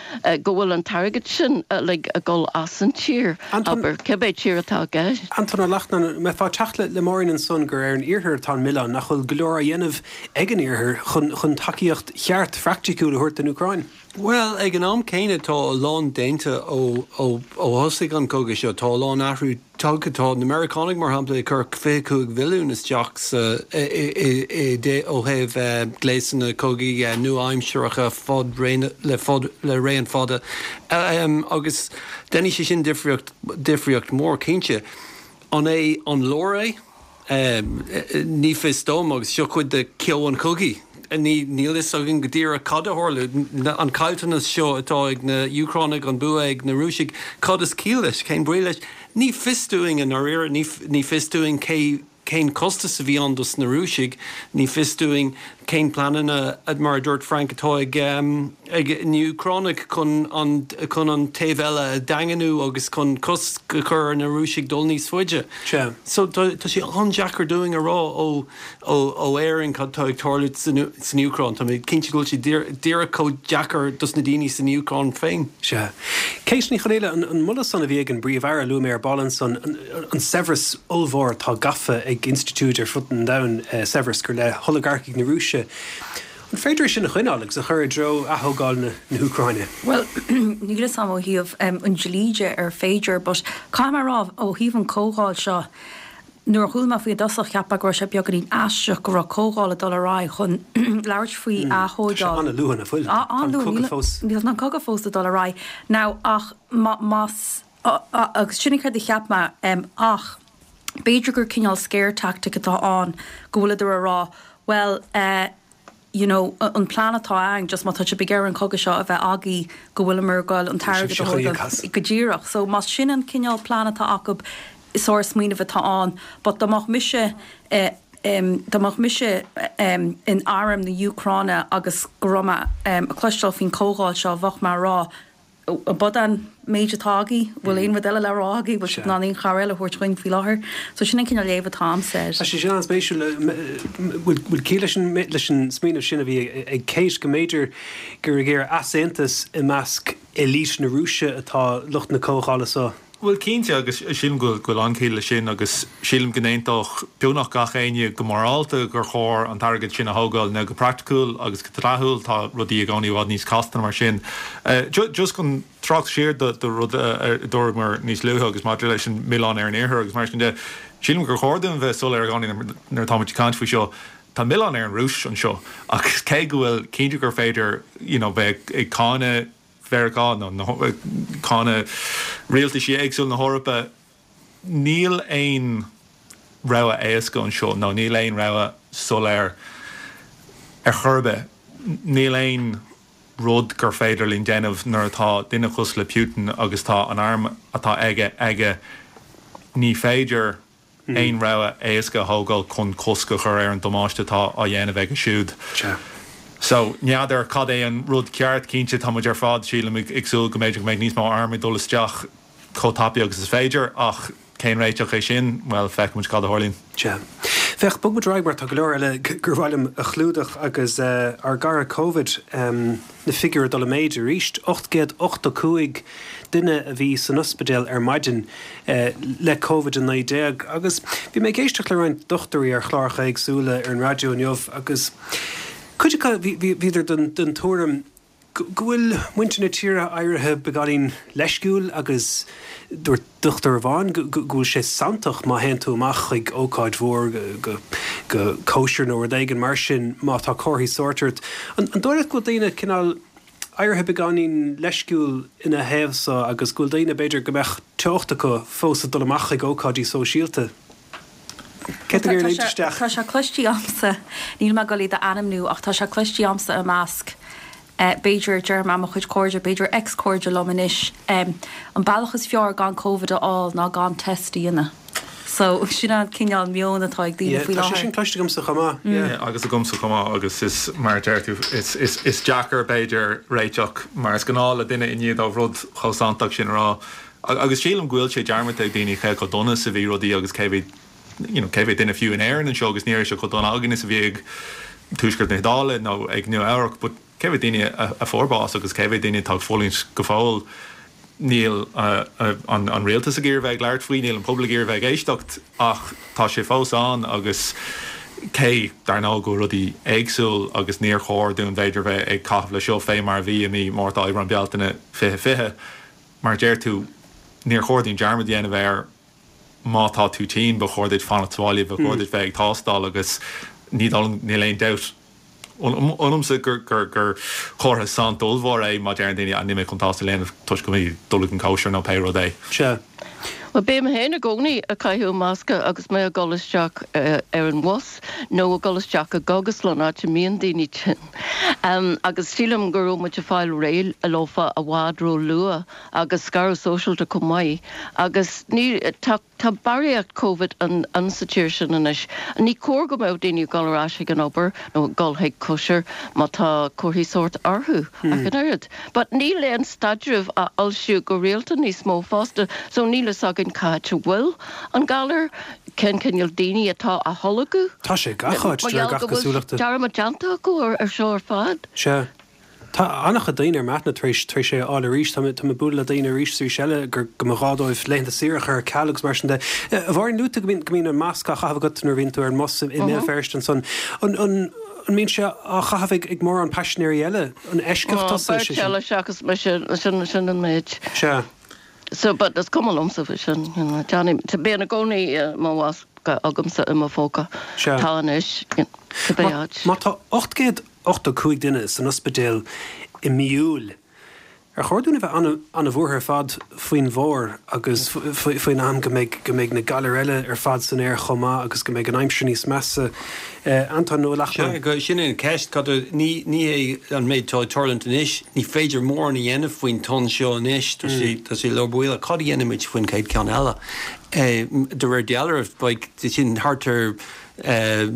go bhfuil an t-airgead sin uilig ag dul as an tír, abair, cibé tír atá i gceist. Antóin Ó Lachtnáin, an mbeifeá ag teacht le Máirín ansan gur ar an Iarthar atá an milleán, nach bhfuil go leor á dhéanamh ag an Iarthar chun chun tacaíocht cheart phraiticiúil a thabhairt don Úcráin? Bhuel, ag an am céanna tá a lán déanta ó ó ó thosaigh an cogadh seo. Tá a lán athrú tagtha. Tá na Meiriceánaigh, mar shampla, ag cur fiche cúig bhilliún isteach sa i i i ó thaobh gléasanna cogaidh nua-aimseartha fad le fad le raon fada agus déanfaidh sé sin difríocht difríocht mhór cinnte. An é an leor é? Ní fios dom agus seo cuid de ceo an chogaidh. Ní níl fhios againn go díreach cad a tharla. An caillteanas seo atá ag na Úcránaigh, an bua ag na Rúisigh, cad is ciall leis? Cén brí leis? Ní fios dúinn i ndáiríre. Ní ní fios dúinn cé cén costas a bhí ann dos na Rúisigh. Ní fios dúinn cén pleananna, mar a dúirt Frank, atá ag ag na Úcránaigh chun an chun an taobh eile a dhaingniú agus chun cosc a chur ar na Rúisigh dul níos faide. Sea. So tá tá sé an-deacair dúinn a rá ó ó ó Éirinn cad tá ag tarlú san san Úcráin. Tá mé cinnte go bhfuil sé díreach chomh deacair dos na daoine san Úcráin féin. Sea. Kate Ní Chonghaile, an an moladh san a bhí ag an bPríomh-Aire a luaigh mé ar ball ansan, an an saibhreas ollmhór atá gafa ag institiúid ar fud an domhain, saibhreas gur le holagarcaigh na Rúise. An féidir é sin a choinneáil agus a chur i dtreo athógáil na hÚcráine? Bhuel, níl fhios a'm ó thaobh an dlí de ar féidir, but caithfidh mé a rá, ó thaobh an comhdháil seo, nuair a chuala mé faoi i dtosach, cheap mé go raibh sé beagáinín aisteach go raibh comhdháil ag dul ar aghaidh chun labhairt faoi Tá sé athógáil. an-luath, nach bhfuil? Tá an An-luath, cogadh níl, fós. níl an cogadh fós ag dul ar aghaidh. Now, ach má, más, agus sin an chéad a cheap mé, ach b'fhéidir gur cineál scare tactic atá ann, go bhfuileadar a rá, bhuel, eh, you know, an plean atá againn, just má tá sibh ag iarraidh an cogadh seo a bheith agaibh, go bhfuileamar ag goil an t-airgead a thógáil go díreach. So más sin an cineál plean atá acu, sár-smaoineamh atá ann, but dá mbeadh mise eh, em, dá mbeadh mise em, in arm na hÚcráine agus go raibh mé em, ag cloisteáil faoin comhdháil seo, bheadh mé a rá, An b'in an méid atá agaibh? Bhfuil aon rud eile le rá agaibh? Bhfuil sibh in ann aon chabhair eile a thabhairt dhúinn faoi láthair? So sin an cineál léamh atá a'msa air. Tá sé sin an-spéisiúil. Bhfuil bhfuil ciall leis an leis an smaoineamh sin a bhí ag Kate go mb'fhéidir gur ag iarraidh easaontas i measc elite na Rúise atá lucht na comhdhála so? Bhuel, cinnte, agus sílim go bhfuil an-chiall leis sin agus sílim go n-aontódh beagnach gach éinne go morálta gur chóir an t-airgead sin a thógáil. Now go praiticiúil agus go dleathúil tá rudaí i gcónaí i bhfad níos casta mar sin. Just chun trácht siar do rud a dúramar níos luaithe agus maidir leis an milleán ar an Iarthar agus mar sin de, sílim gur chóir dúinn bheith soiléir i gcónaí nuair atáimid ag caint faoi seo, tá milleán ar an Rúis anseo agus cé go bhfuil cinnte gur féidir you know bheith ag cáineadh Mheiriceá nó cáineadh rialtaisí éagsúla na hEorpa, níl aon rogha éasca anseo nó níl aon rogha soiléir ar chor ar bith. Níl aon rud gur féidir linn déanamh nuair atá duine cosúil le Putin agus tá an arm atá aige aige. Ní féidir aon rogha éasca a thógáil chun cosc a chur ar an damáiste atá á dhéanamh aige siúd. Sea. So, n'fheadar cad é an rud ceart. Cinnte, tá muid ar fad, sílim, ag súil go mb'fhéidir go mbeidh níos mó arm ag dul isteach chomh tapaidh agus is féidir, ach cén réiteach é sin? Bhuel, feicfidh muid cad a tharlaíonn. Sea. Féach, bog muid ar aghaidh mar tá go leor eile gur mhaith liom a chlúdach agus ár gcara Covid, na figiúirí ag dul i méid arís. ocht gcéad ochtó cúig duine a bhí san ospidéal ar maidin le Covid a naoi déag agus bhí mé ag éisteacht le roinnt dochtúirí ar chláracha éagsúla ar an raidió inniu agus cuid acu bhíodar den tuairim go bhfuil muintir na tíre éirithe beagáinín leisciúil agus dúirt dochtúir amháin go bhfuil sé santach má théann tú amach chuig ócáid mhór, go cóisir nó rud éigin mar sin, má tá comharthaí sóirt ort. An dóigh leat go bhfuil daoine cineál éirithe beagáinín leisciúil ina thaobh so agus go bhfuil daoine, b'fhéidir, go mbeadh teocht acu fós ag dul amach chuig ócáidí sóisialta? Cé tá ag iarraidh léimt isteach? Tá sé cloiste a'msa, níl mé ag dul iad a ainmniú, ach tá sé cloiste a'msa i measc, b'fhéidir, déarfaidh mé mo chuid cairde, b'fhéidir ex-chairde liom anois, an bealach is fearr gan Covid a fháil ná gan test a dhéanamh. So sin an cineál meon atá ag daoine faoi Tá sé láthair. sin cloiste agamsa chomh maith. Yeah. agus agamsa chomh maith agus is mar a deir tú is, is, is deacair b'fhéidir réiteach mar is gnáth le duine i ndiaidh dóibh rud chomh santach sin a rá. Agus sílim go bhfuil sé dearmadta ag daoine cé chomh dona is a bhí rudaí agus cé mhéad you know, cé mhéad duine fiú in Éirinn anseo agus ní raibh sé chomh dona againn is a bhí ag Tuaisceart na hIodáile nó ag Nua Eabhrac, but cé mhéad daoine a, a fuair bás agus cé mhéad daoine atá ag fulaingt go fóill níl uh, uh, an, an rialtas ag iarraidh bheith ag labhairt faoi, níl an pobal ag iarraidh bheith ag éisteacht ach tá sé fós ann agus cé dar ndóigh go rudaí éagsúil agus níor chóir dúinn b'fhéidir bheith ag caitheamh le seo fé mar a bhí i mí Márta Aibreán Bealtaine fiche fiche mar deir tú níor chóir dúinn dearmad a dhéanamh air má tá tú tinn ba chóir duit fanacht sa bhaile ba chóir duit bheith ag tástáil agus ní níl aon dabht ionamsa gur gur gur chomhartha saint ollmhór é má deireann daoine níl mé chun tástáil a dhéanamh toisc go mbeidh dul ag an cóisir nó pé rud é. Sea. Well bím féin i gcónaí ag caitheamh masca agus mé ag dul isteach uh, ar an bhus nó ag dul isteach i gcógaslann áit a mbíonn daoine tinn. Um, agus sílim go raibh muid ag fáil réidh leofa i bhfad ró-luath agus scaradh sóisialta chomh maith. Agus ní tá tá barraíocht COVID an, an sa tír sin anois. Ní cóir go mbeadh daoine ag dul ar ais ag an obair nó dul chuig cóisir má tá comharthaí sóirt orthu mm. ach an oiread. But níl aon staidreamh á fhoilsiú go rialta níos mó fosta, so níl a fhios againn cá háit a bhfuil an galar cén cineál daoine atá á tholgadh. Tá sé gach áit de gach cosúlachta. Dearmad déanta acu ar ar seo ar fad. Sea. Tá an-chuid daoine ar m'aithne tar éis tar éis é a fháil arís, tá mé tá mé bualadh le daoine arís arís eile gur go mba ghá dóibh laethanta saoire a chur ar ceal agus mar sin de. A Mháirín luaigh tú go mbíonn go mbíonn an masc á chaitheamh agat nuair a bhíonn tú ar an mbus i mBéal Feirste ansan. An an an mbíonn sé á chaitheamh ag ag mórán paisinéirí eile an eisceacht tusa sé sin? eile seachas mise sin sin an méid. Sea. So but is cuma liomsa faoi sin you know, Johnny tá bíonn i gcónaí uh, mo mhasca agamsa i mo phóca Sea. Tá anois cibé áit. Má tá ocht gcéad ochtó cúig duine san ospidéal i mí Iúil. Ar chóir dúinn a bheith an-bhuartha ar fad faoin bhfómhar agus faoin am go mbeidh go mbeidh na galair eile ar fad san aer chomh maith agus go mbeidh an aimsir níos measa Anton nó Sea, go- sin an ceist cad ní ní é an méid tá ag tarlúint anois, ní féidir mórán a dhéanamh faoin tonn seo anois tá sé tá sé leor buile cad a dhéanfaimid faoin chéad ceann eile. Eh, de réir dealraimh beidh sin thart ar eh,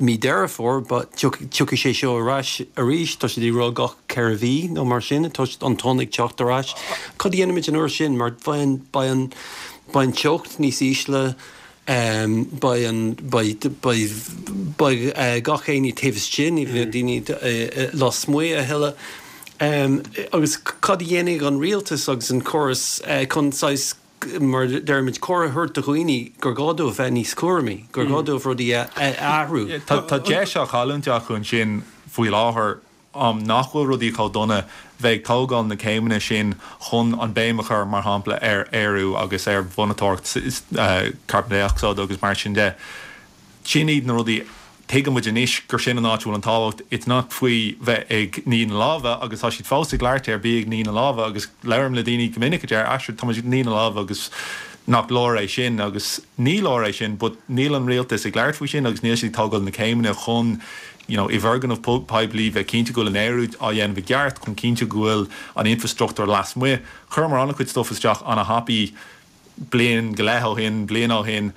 mí Deireadh Fómhair, but tiocfaidh sé seo ar ais arís tá sé ag rá gach ceithre mhí nó mar sin tá an tonn ag teacht ar ais. Cad a dhéanfaimid an uair sin mar beidh beidh an beidh an teocht níos ísle, um, beidh an beidh beidh beidh uh, gach éinne taobh istigh ní bheidh daoine uh, lasmuigh a thuilleadh. Um, agus cad a dhéanfaidh an rialtas agus an córas uh, chun saghas mar deirmid cóir a thabhairt do dhaoine gur gá dóibh bheith níos cúramaí, gur gá dóibh rudaí a athrú. Tá tá deis á chailliúint acu ansin faoi láthair am nach bhfuil rudaí chomh dona bheith ag tógáil na céimeanna sin chun an béim a chur mar shampla ar aerú agus ar mhonatóireacht uh, carbon dioxide agus mar sin de. Sin iad na rudaí tuigeann muid anois gur sin an áit bhfuil an tábhacht it's not faoi bheith ag ní na lámha agus tá siad fós ag labhairt ar bí ag ní na lámha agus labhraím le daoine go minic a deir Astrid tá muid ag ní na lámha agus nach leor é sin agus ní leor é sin, but níl an rialtas ag labhairt faoi sin agus níl siad ag tógáil na céimeanna chun you know, i bhfoirgnimh poiblí bheith cinnte go bhfuil an aerú á dhéanamh i gceart chun cinnte go bhfuil an infrastruchtúr lasmuigh. Chuir mar an-chuid stuff isteach an-thapaidh bliain go leith ó shin, bliain ó shin,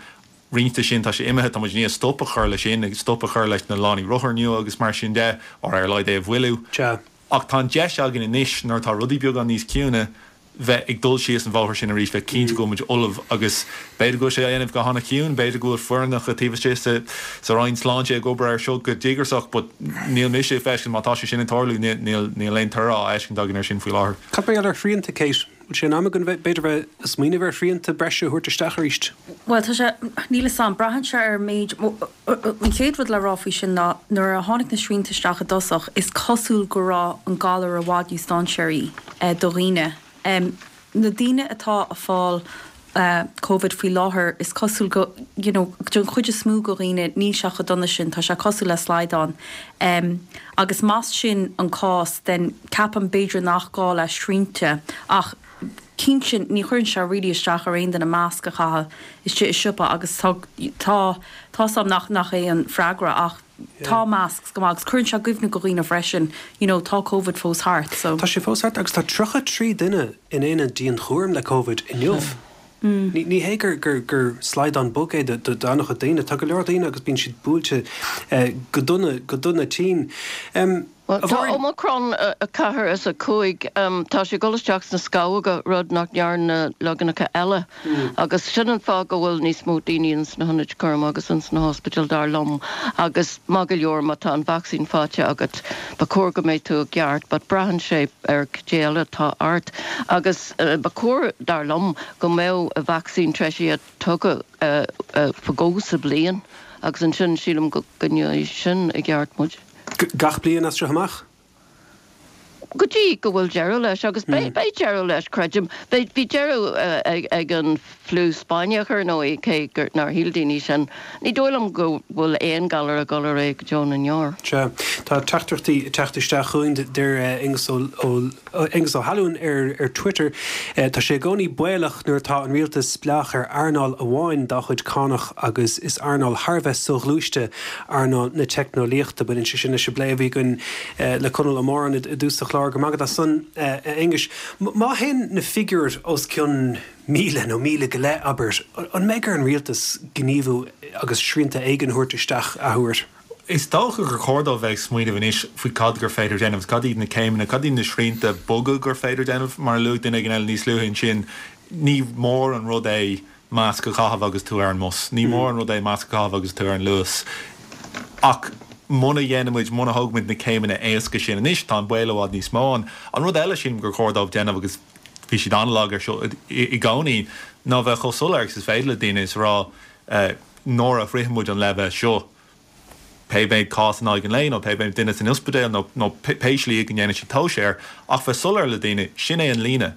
roinnt de sin tá sé imithe tá muid ní stop a chur leis sin ag stop a chur leis na lánaí rothar nua agus mar sin de ar ar leid é a bhuiliú. Sea. Ach tá an deis againn anois nuair atá rudaí beagán níos ciúine bheith ag dul síos an bhóthar sin arís bheith cinnte go bhfuil muid ullamh agus b'fhéidir go bhfuil sé á dhéanamh go han-chiúin, b'fhéidir go bhfuil foirneacha taobh istigh sa sa Roinn Sláinte ag obair ar seo go díograiseach, but níl mise ag feiscint má tá sé sin ag tarlú níl níl aon toradh á fheiscint againn ar sin faoi láthair. Cad mar gheall ar shrianta Kate? Bhfuil sé in am againn bheith b'fhéidir bheith ag smaoineamh ar shrianta breise a thabhairt isteach arís? Well tá sé níl a fhios agam braitheann sé ar méid an chéad rud le rá faoi sin ná nuair a tháinig na srianta isteach i dtosach is cosúil go raibh an galar i bhfad níos dainséaraí eh, do dhaoine. Um, na daoine atá ag fáil uh, COVID faoi láthair is cosúil go you know, don chuid is mó de dhaoine níl sé chomh dona sin tá sé cosúil le slaghdán. Um, agus más sin an cás den ceapaim b'fhéidir nach gá le srianta ach cinnte ní chuireann sé really isteach ar aon duine masc a chaitheamh istigh i siopa agus tá tá tá sam nach nach é an freagra ach tá masks go maith agus cuireann sé cuimhne do dhaoine freisin you know, tá COVID fós thart so. Tá sé fós thart agus tá tríocha trí duine in aonad dianchúraim le COVID inniu. Ní hé gur gur gur slaghdán bog é do an-chuid daoine, tá go leor daoine agus bíonn siad buailte go dona go dona tinn. Bhuel, tá Omicron a ceathair is a cúig, tá sé ag dul isteach sna scamhóga, rud nach ndearna na leaganacha eile. Agus sin an fáth go bhfuil níos mó daoine ins na hionaid cúraim agus ins na hospidéil, dar liom. Agus maith go leor, má tá an vacsaín faighte agat, ba chóir go mbeidh tú i gceart, but braitheann sé ar cad é eile atá ort. Agus ba chóir, dar liom, go mbeadh vacsaín treisithe tugtha fadó sa bhliain agus ansin sílim go gcoinneoidh sin i gceart muid. Gach bliain as seo amach? Go dtí go bhfuil deireadh leis, agus beidh deireadh leis, creidim. Bhí deireadh ag an fliú Spáinneach, ar ndóigh, cé gur nár shíl daoine sin. Ní dóigh liom go bhfuil aon galar ag dul ar aghaidh go deo na ndeor. Sea, tá teachtaireachtaí ag teacht isteach chugainn, deir Aengus Aengus Ó hAlúin ar Twitter, Tá sé i gcónaí baolach nuair atá an rialtas spleách ar earnáil amháin dá chuid cánach agus is earnáil thar a bheith soghluaiste earnáil na teicneolaíochta. Baineann sé sin leis an bplé a bhí againn le Conall Ó Móráin i dtús an chláir. Go raibh maith agat as san, a Aonghuis. Má théann na figiúir os cionn míle nó míle go leith, abair, an mbeidh ar an rialtas gníomhú agus srianta éigin a thabhairt isteach athuair? Is dócha gur chóir dóibh bheith ag smaoineamh anois faoi cad gur féidir déanamh, cad iad na céimeanna, cad iad na srianta boga gur féidir déanamh. Mar a luaigh duine éigin eile níos luaithe ansin, ní mór an rud é masc a chaitheamh agus tú ar an mbus, ní mór an rud é masc a chaitheamh agus tú ar an Luas. Ach muna dhéanaimid, muna thógaimid na céimeanna éasca sin anois, tá an baol i bhfad níos mó ann. An rud eile, sílim, gur chóir dóibh déanamh, agus bhí siad an-lag ar seo i gcónaí, ná bheith chomh soiléir agus is féidir le daoine is a rá nuair a shroicheann muid an leibhéal seo, pé méid cás in aghaidh an lae nó pé méid duine san ospidéal nó nó pé slí go ndéanann siad tomhas air, ach bheith soiléir le daoine, sin é an líne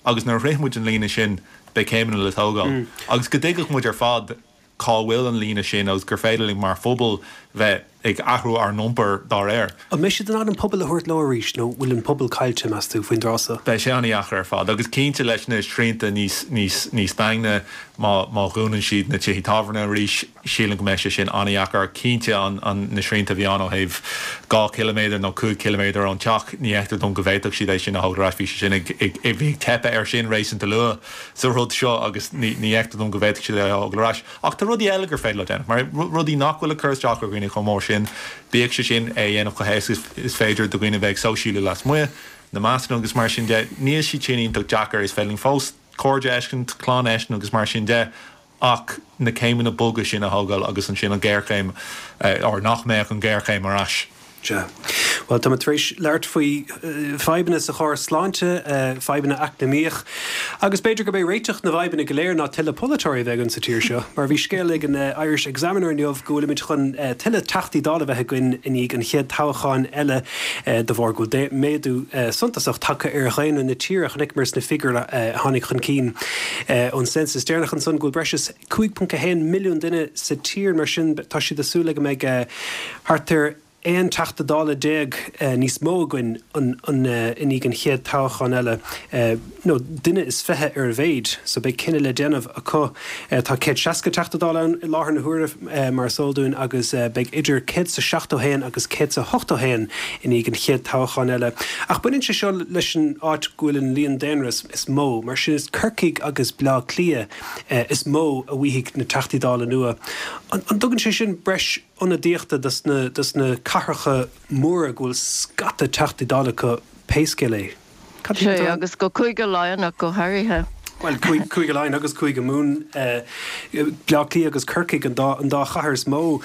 agus nuair a shroicheann muid an líne sin beidh céimeanna le tógáil. Agus go dtuigfeadh muid ar fad cá bhfuil an líne sin agus gur féidir linn mar phobal bheith ag athrú ár n-iompar dá réir. An mbeidh siad in ann an pobal a thabhairt leo arís nó bhfuil an pobal caillte, meas tú, faoin dtráth seo? Beidh sé an-dheacair ar fad agus cinnte leis na srianta níos níos níos daingne, má má dhúnann siad na tithe tábhairne arís, sílim go mbeidh sé sin an-dheacair. Cinnte an an na srianta a bhí ann ó thaobh dhá chiliméadar nó cúig chiliméadar ón teach, ní fheictear dom go bhféadfadh siad é sin a thógáil ar ais. Bhí sé sin ag ag bhí ag teipeadh air sin réasúnta luath sa rud seo agus ní ní fheictear dom go bhféadfadh siad é a thógáil ar ais. Ach tá rudaí eile gur féidir leo déanamh, mar rudaí nach bhfuil ag cur isteach ar dhaoine chomh mór sin, bíodh sé sin é a dhéanamh chomh héasca is féidir do dhaoine bheith ag sóisialú lasmuigh, na mascanna agus mar sin de. Níl siad sin iontach deacair, is féidir linn fós cairde a fheiscint, clann a fheiscint agus mar sin de, ach na céimeanna boga sin a thógáil agus ansin an ghéarchéim, or nach mbeadh an ghéarchéim ar ais. Sea. Bhuel, táimid tar éis labhairt faoi fadhbanna sa chóras sláinte, fadhbanna eacnamaíoch, agus b'fhéidir gurb é réiteach na bhfadhbanna go léir ná tuilleadh polaiteoirí a bheith againn sa tír seo. Mar bhí scéal ag an Irish Examiner inniu go bhfuilimid chun tuilleadh Teachtaí Dála a bheith againn i ndiaidh an chéad toghcháin eile de bharr go bhfuil méadú suntasach tagtha ar dhaonra na tíre. Chonaiceamar sna figiúirí a tháinig chun cinn ón census deireanach ansan go bhfuil breis is cúig ponc a haon milliún duine sa tír. Mar sin, tá siad ag súil le go mbeidh thart ar aon Teachta Dála déag níos mó againn i ndiaidh an chéad toghchán eile, nó duine is fiche ar a mhéid, so beidh cinneadh le déanamh acu. Tá céad seasca Teachta Dála ann i láthair na huaire, mar is eol dúinn, agus beidh idir céad is a seachtó haon agus céad is a hochtó haon i ndiaidh an chéad toghchán eile. Ach baineann sé seo leis an áit go bhfuil an líon daonra is mó, mar sin is Corcaigh agus Bleá Cliath is mó a bhfaighidh na Teachtaí Dála nua. An dtugann sé sin breis ionadaíochta dos na dos na cathracha móra go bhfuil scata Teachtaí Dála acu pé scéal é. Cad Sea, atá agus go Cúige Laighean ach go háirithe. Bhuel, Cúige Laighean agus Cúige Mumhan, Bleá Cliath agus Corcaigh an dá an dá chathair is mó.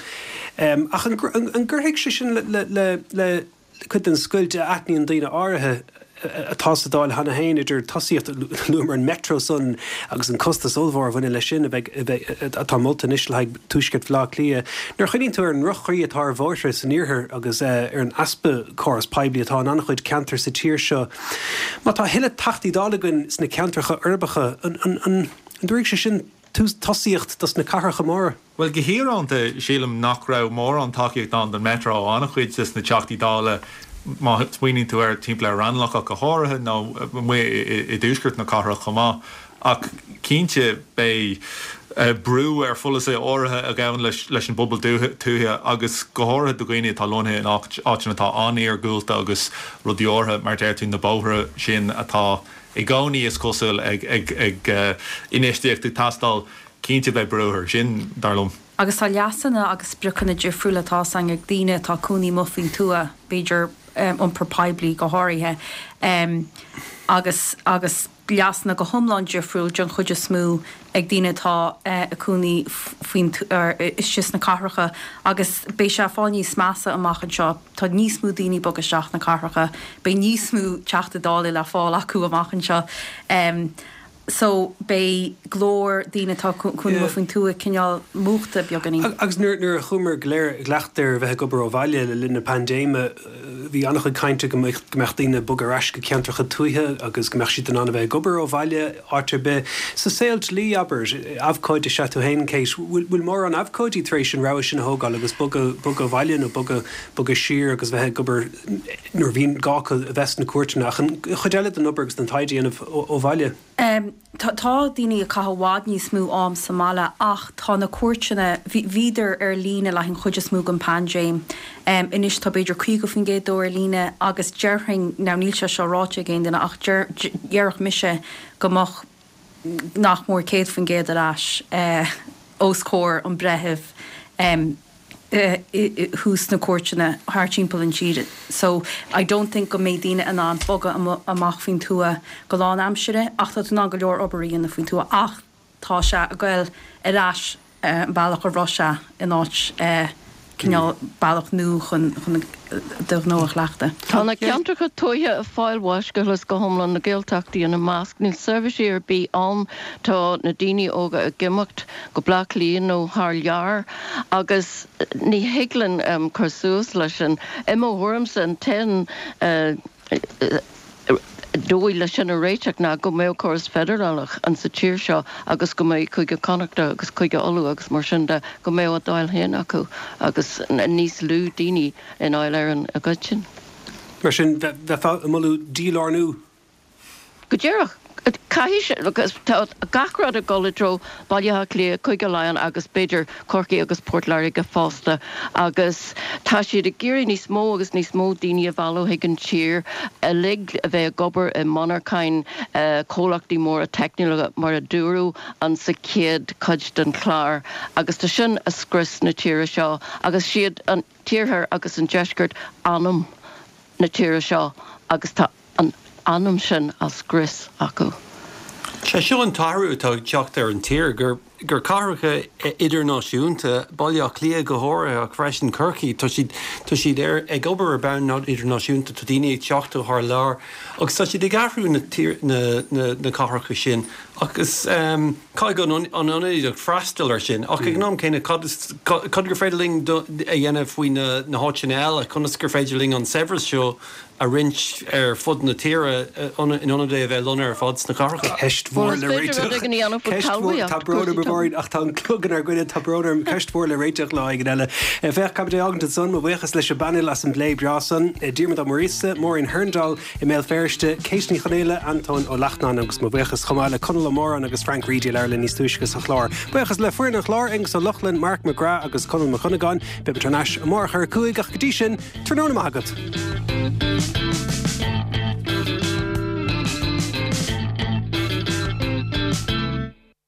Ach an an gcuirfidh sé sin le le le cuid den scoilt a aithníonn daoine áirithe atá sa Dáil cheana féin idir tosaíocht, luamar an Metro san agus an costas ollmhór a bhaineann leis sin a bheidh, atá molta anois le haghaidh tuaisceart Bhaile Átha Cliath. Nuair a chuimhníonn tú ar an ndroch-chaoi atá ar bhóithre san iarthar agus ar an easpa córas poiblí atá in an-chuid ceantar sa tír seo, má tá a thuilleadh Teachtaí Dála againn sna ceantracha uirbeacha, an dtabharfaidh sé sin tosaíocht dos na cathracha móra? Bhuel, go híorónta, sílim nach raibh mórán tacaíocht ann don Metro ó an-chuid des na Teachtaí Dála, má smaoiníonn tú air, timpeall ar Raghnallach ach go háirithe, nó amuigh i dtuaisceart na cathrach chomh maith. Ach cinnte, beidh brú ar pholasaithe áirithe a ghabhann leis an bpobal tuaithe agus go háirithe do dhaoine atá lonnaithe in áiteanna atá an-iargúlta agus rudaí áirithe mar deir tú na bóithre sin atá i gcónaí is cosúil ag ag infheistíocht ag teastáil, cinnte beidh brú air sin, dar liom. Agus tá leasanna agus spriocanna difriúla tá a fhios againn ag daoine atá ag cónaí amuigh faoin tuath, b'fhéidir iompar poiblí go háirithe, agus agus leasanna go hiomlán difriúil den chuid is mó ag daoine atá ag cónaí faoin istigh sna cathracha agus beidh sé ag fáil níos measa amach anseo. Tá níos mó daoine ag bogadh isteach na cathracha, beidh níos mó Teachtaí Dála le fáil acu amach anseo. So beidh glór daoine atá ag cónaí amuigh faoin tuath cineál múchta beagáinín. Agus nuair a chuamar go léir i gcleachtadh ar bheith ag obair ó bhaile le linn na paindéime, bhí an-chuid cainte go mbeadh daoine ag bogadh ar ais go ceantracha tuaithe agus go mbeadh siad in ann a bheith ag obair ó bhaile áit ar bith. Sa saol dlí, abair, abhcóide is ea tú féin, Kate, bhfuil mórán abhcóidí tar éis an rogha sin a thógáil agus bogadh bogadh abhaile nó bogadh bogadh siar agus bheith ag obair nuair a bhíonn gá acu a bheith sna cúirteanna ach an chuid eile den obair agus den taighde a dhéanamh ó bhaile? Tá daoine ag caitheamh i bhfad níos mó am sa mbaile ach tá na cúirteanna, bhíodar ar líne le haghaidh an chuid is mó den paindéim. Anois tá b'fhéidir caoga faoin gcéad dó ar líne agus déarfainn, now níl sé seo ráite ag aon duine ach déarfadh mise go mbeadh nach mór céad faoin gcéad ar ais os comhair an bhreithimh. thuas sna cúirteanna thar timpeall an tír so I don't think go mbeidh daoine in ann bogadh amach faoin tuath go lán aimsire ach tá tú in ann go leor obair a dhéanamh faoin tuath ach tá sé ag goil ar ais an bealach a raibh sé in áit cineál bealach nua chun chun do ghnó a chleachtadh. Tá na ceantracha tuaithe ag fáil bháis go huile is go hiomlán, na Gaeltachtaí ina measc. Níl seirbhísí ar bith ann. Tá na daoine óga ag imeacht go Bleá Cliath nó thar lear agus ní thig linn cur suas leis sin. I mo thuairimse, an t-aon dóigh leis sin a réiteach ná go mbeadh córas feidearálach an sa tír seo agus go mbeadh Cúige Connachta agus Cúige Uladh agus mar sin de, go mbeadh a nDáil féin acu agus níos lú daoine i nDáil Éireann i gcoitinne. Mar sin, bheifeá ag moladh dílárnú? Go díreach. Caithfidh sé, agus tá gach rud ag dul i dtreo Baile Átha Cliath, Cúige Laighean agus b'fhéidir Corcaigh agus Port Láirge fosta agus tá siad ag iarraidh níos mó agus níos mó daoine a mhealladh chuig an tír uilig a bheith ag obair i monarcháin comhlachtaí móra teicniúla mar a dúradh an sa chéad chuid den chlár agus tá sin ag scrios na tíre seo agus siad an t-iarthar agus an deisceart anam na tíre seo agus tá an anam sin á scrios acu. Sé seo an t-athrú atá ag teacht ar an tír, gur gur cathracha idirnáisiúnta, Baile Átha Cliath go háirithe ach freisin Corcaigh, tá siad tá siad ar ag obair ar bhonn idirnáisiúnta, tá daoine ag teacht ó thar lear agus tá siad ag athrú na tír na na na cathracha sin agus caithfidh an an ionadaíocht freastal air sin ach ag an am céanna cad is cad gur féidir linn a dhéanamh faoi na na háiteanna eile, conas gur féidir linn an saibhreas seo a roinnt ar fud na tíre in ionad é a bheith lonnaithe ar fad sna cathracha. Ceist mhór le réiteach. Ceist mhór, tá brón orm a Mháirín ach tá an clog inár gcoinne, tá brón orm, ceist mhór le réiteach lá éigin eile. Féach, caibidil a fhágaint ansan, mo bhuíochas leis an bpainéal as an bplé breá san, Diarmuid Ó Muiríosa, Máirín Hurndall i mBéal Feirste, Kate Ní Chonaola, Antóin Ó Lachtnáin agus mo bhuíochas chomh maith le Conall Ó Móráin agus Frank Reidy a labhair linn níos túisce sa chlár. Buíochas le foireann an chláir, Aengus Ó Lochlainn, Mark McGrath agus Conall Mac Cuinneagáin. Beidh muid thar n-ais amárach ar a cúig ach go dtí sin, tráthnóna maith agat.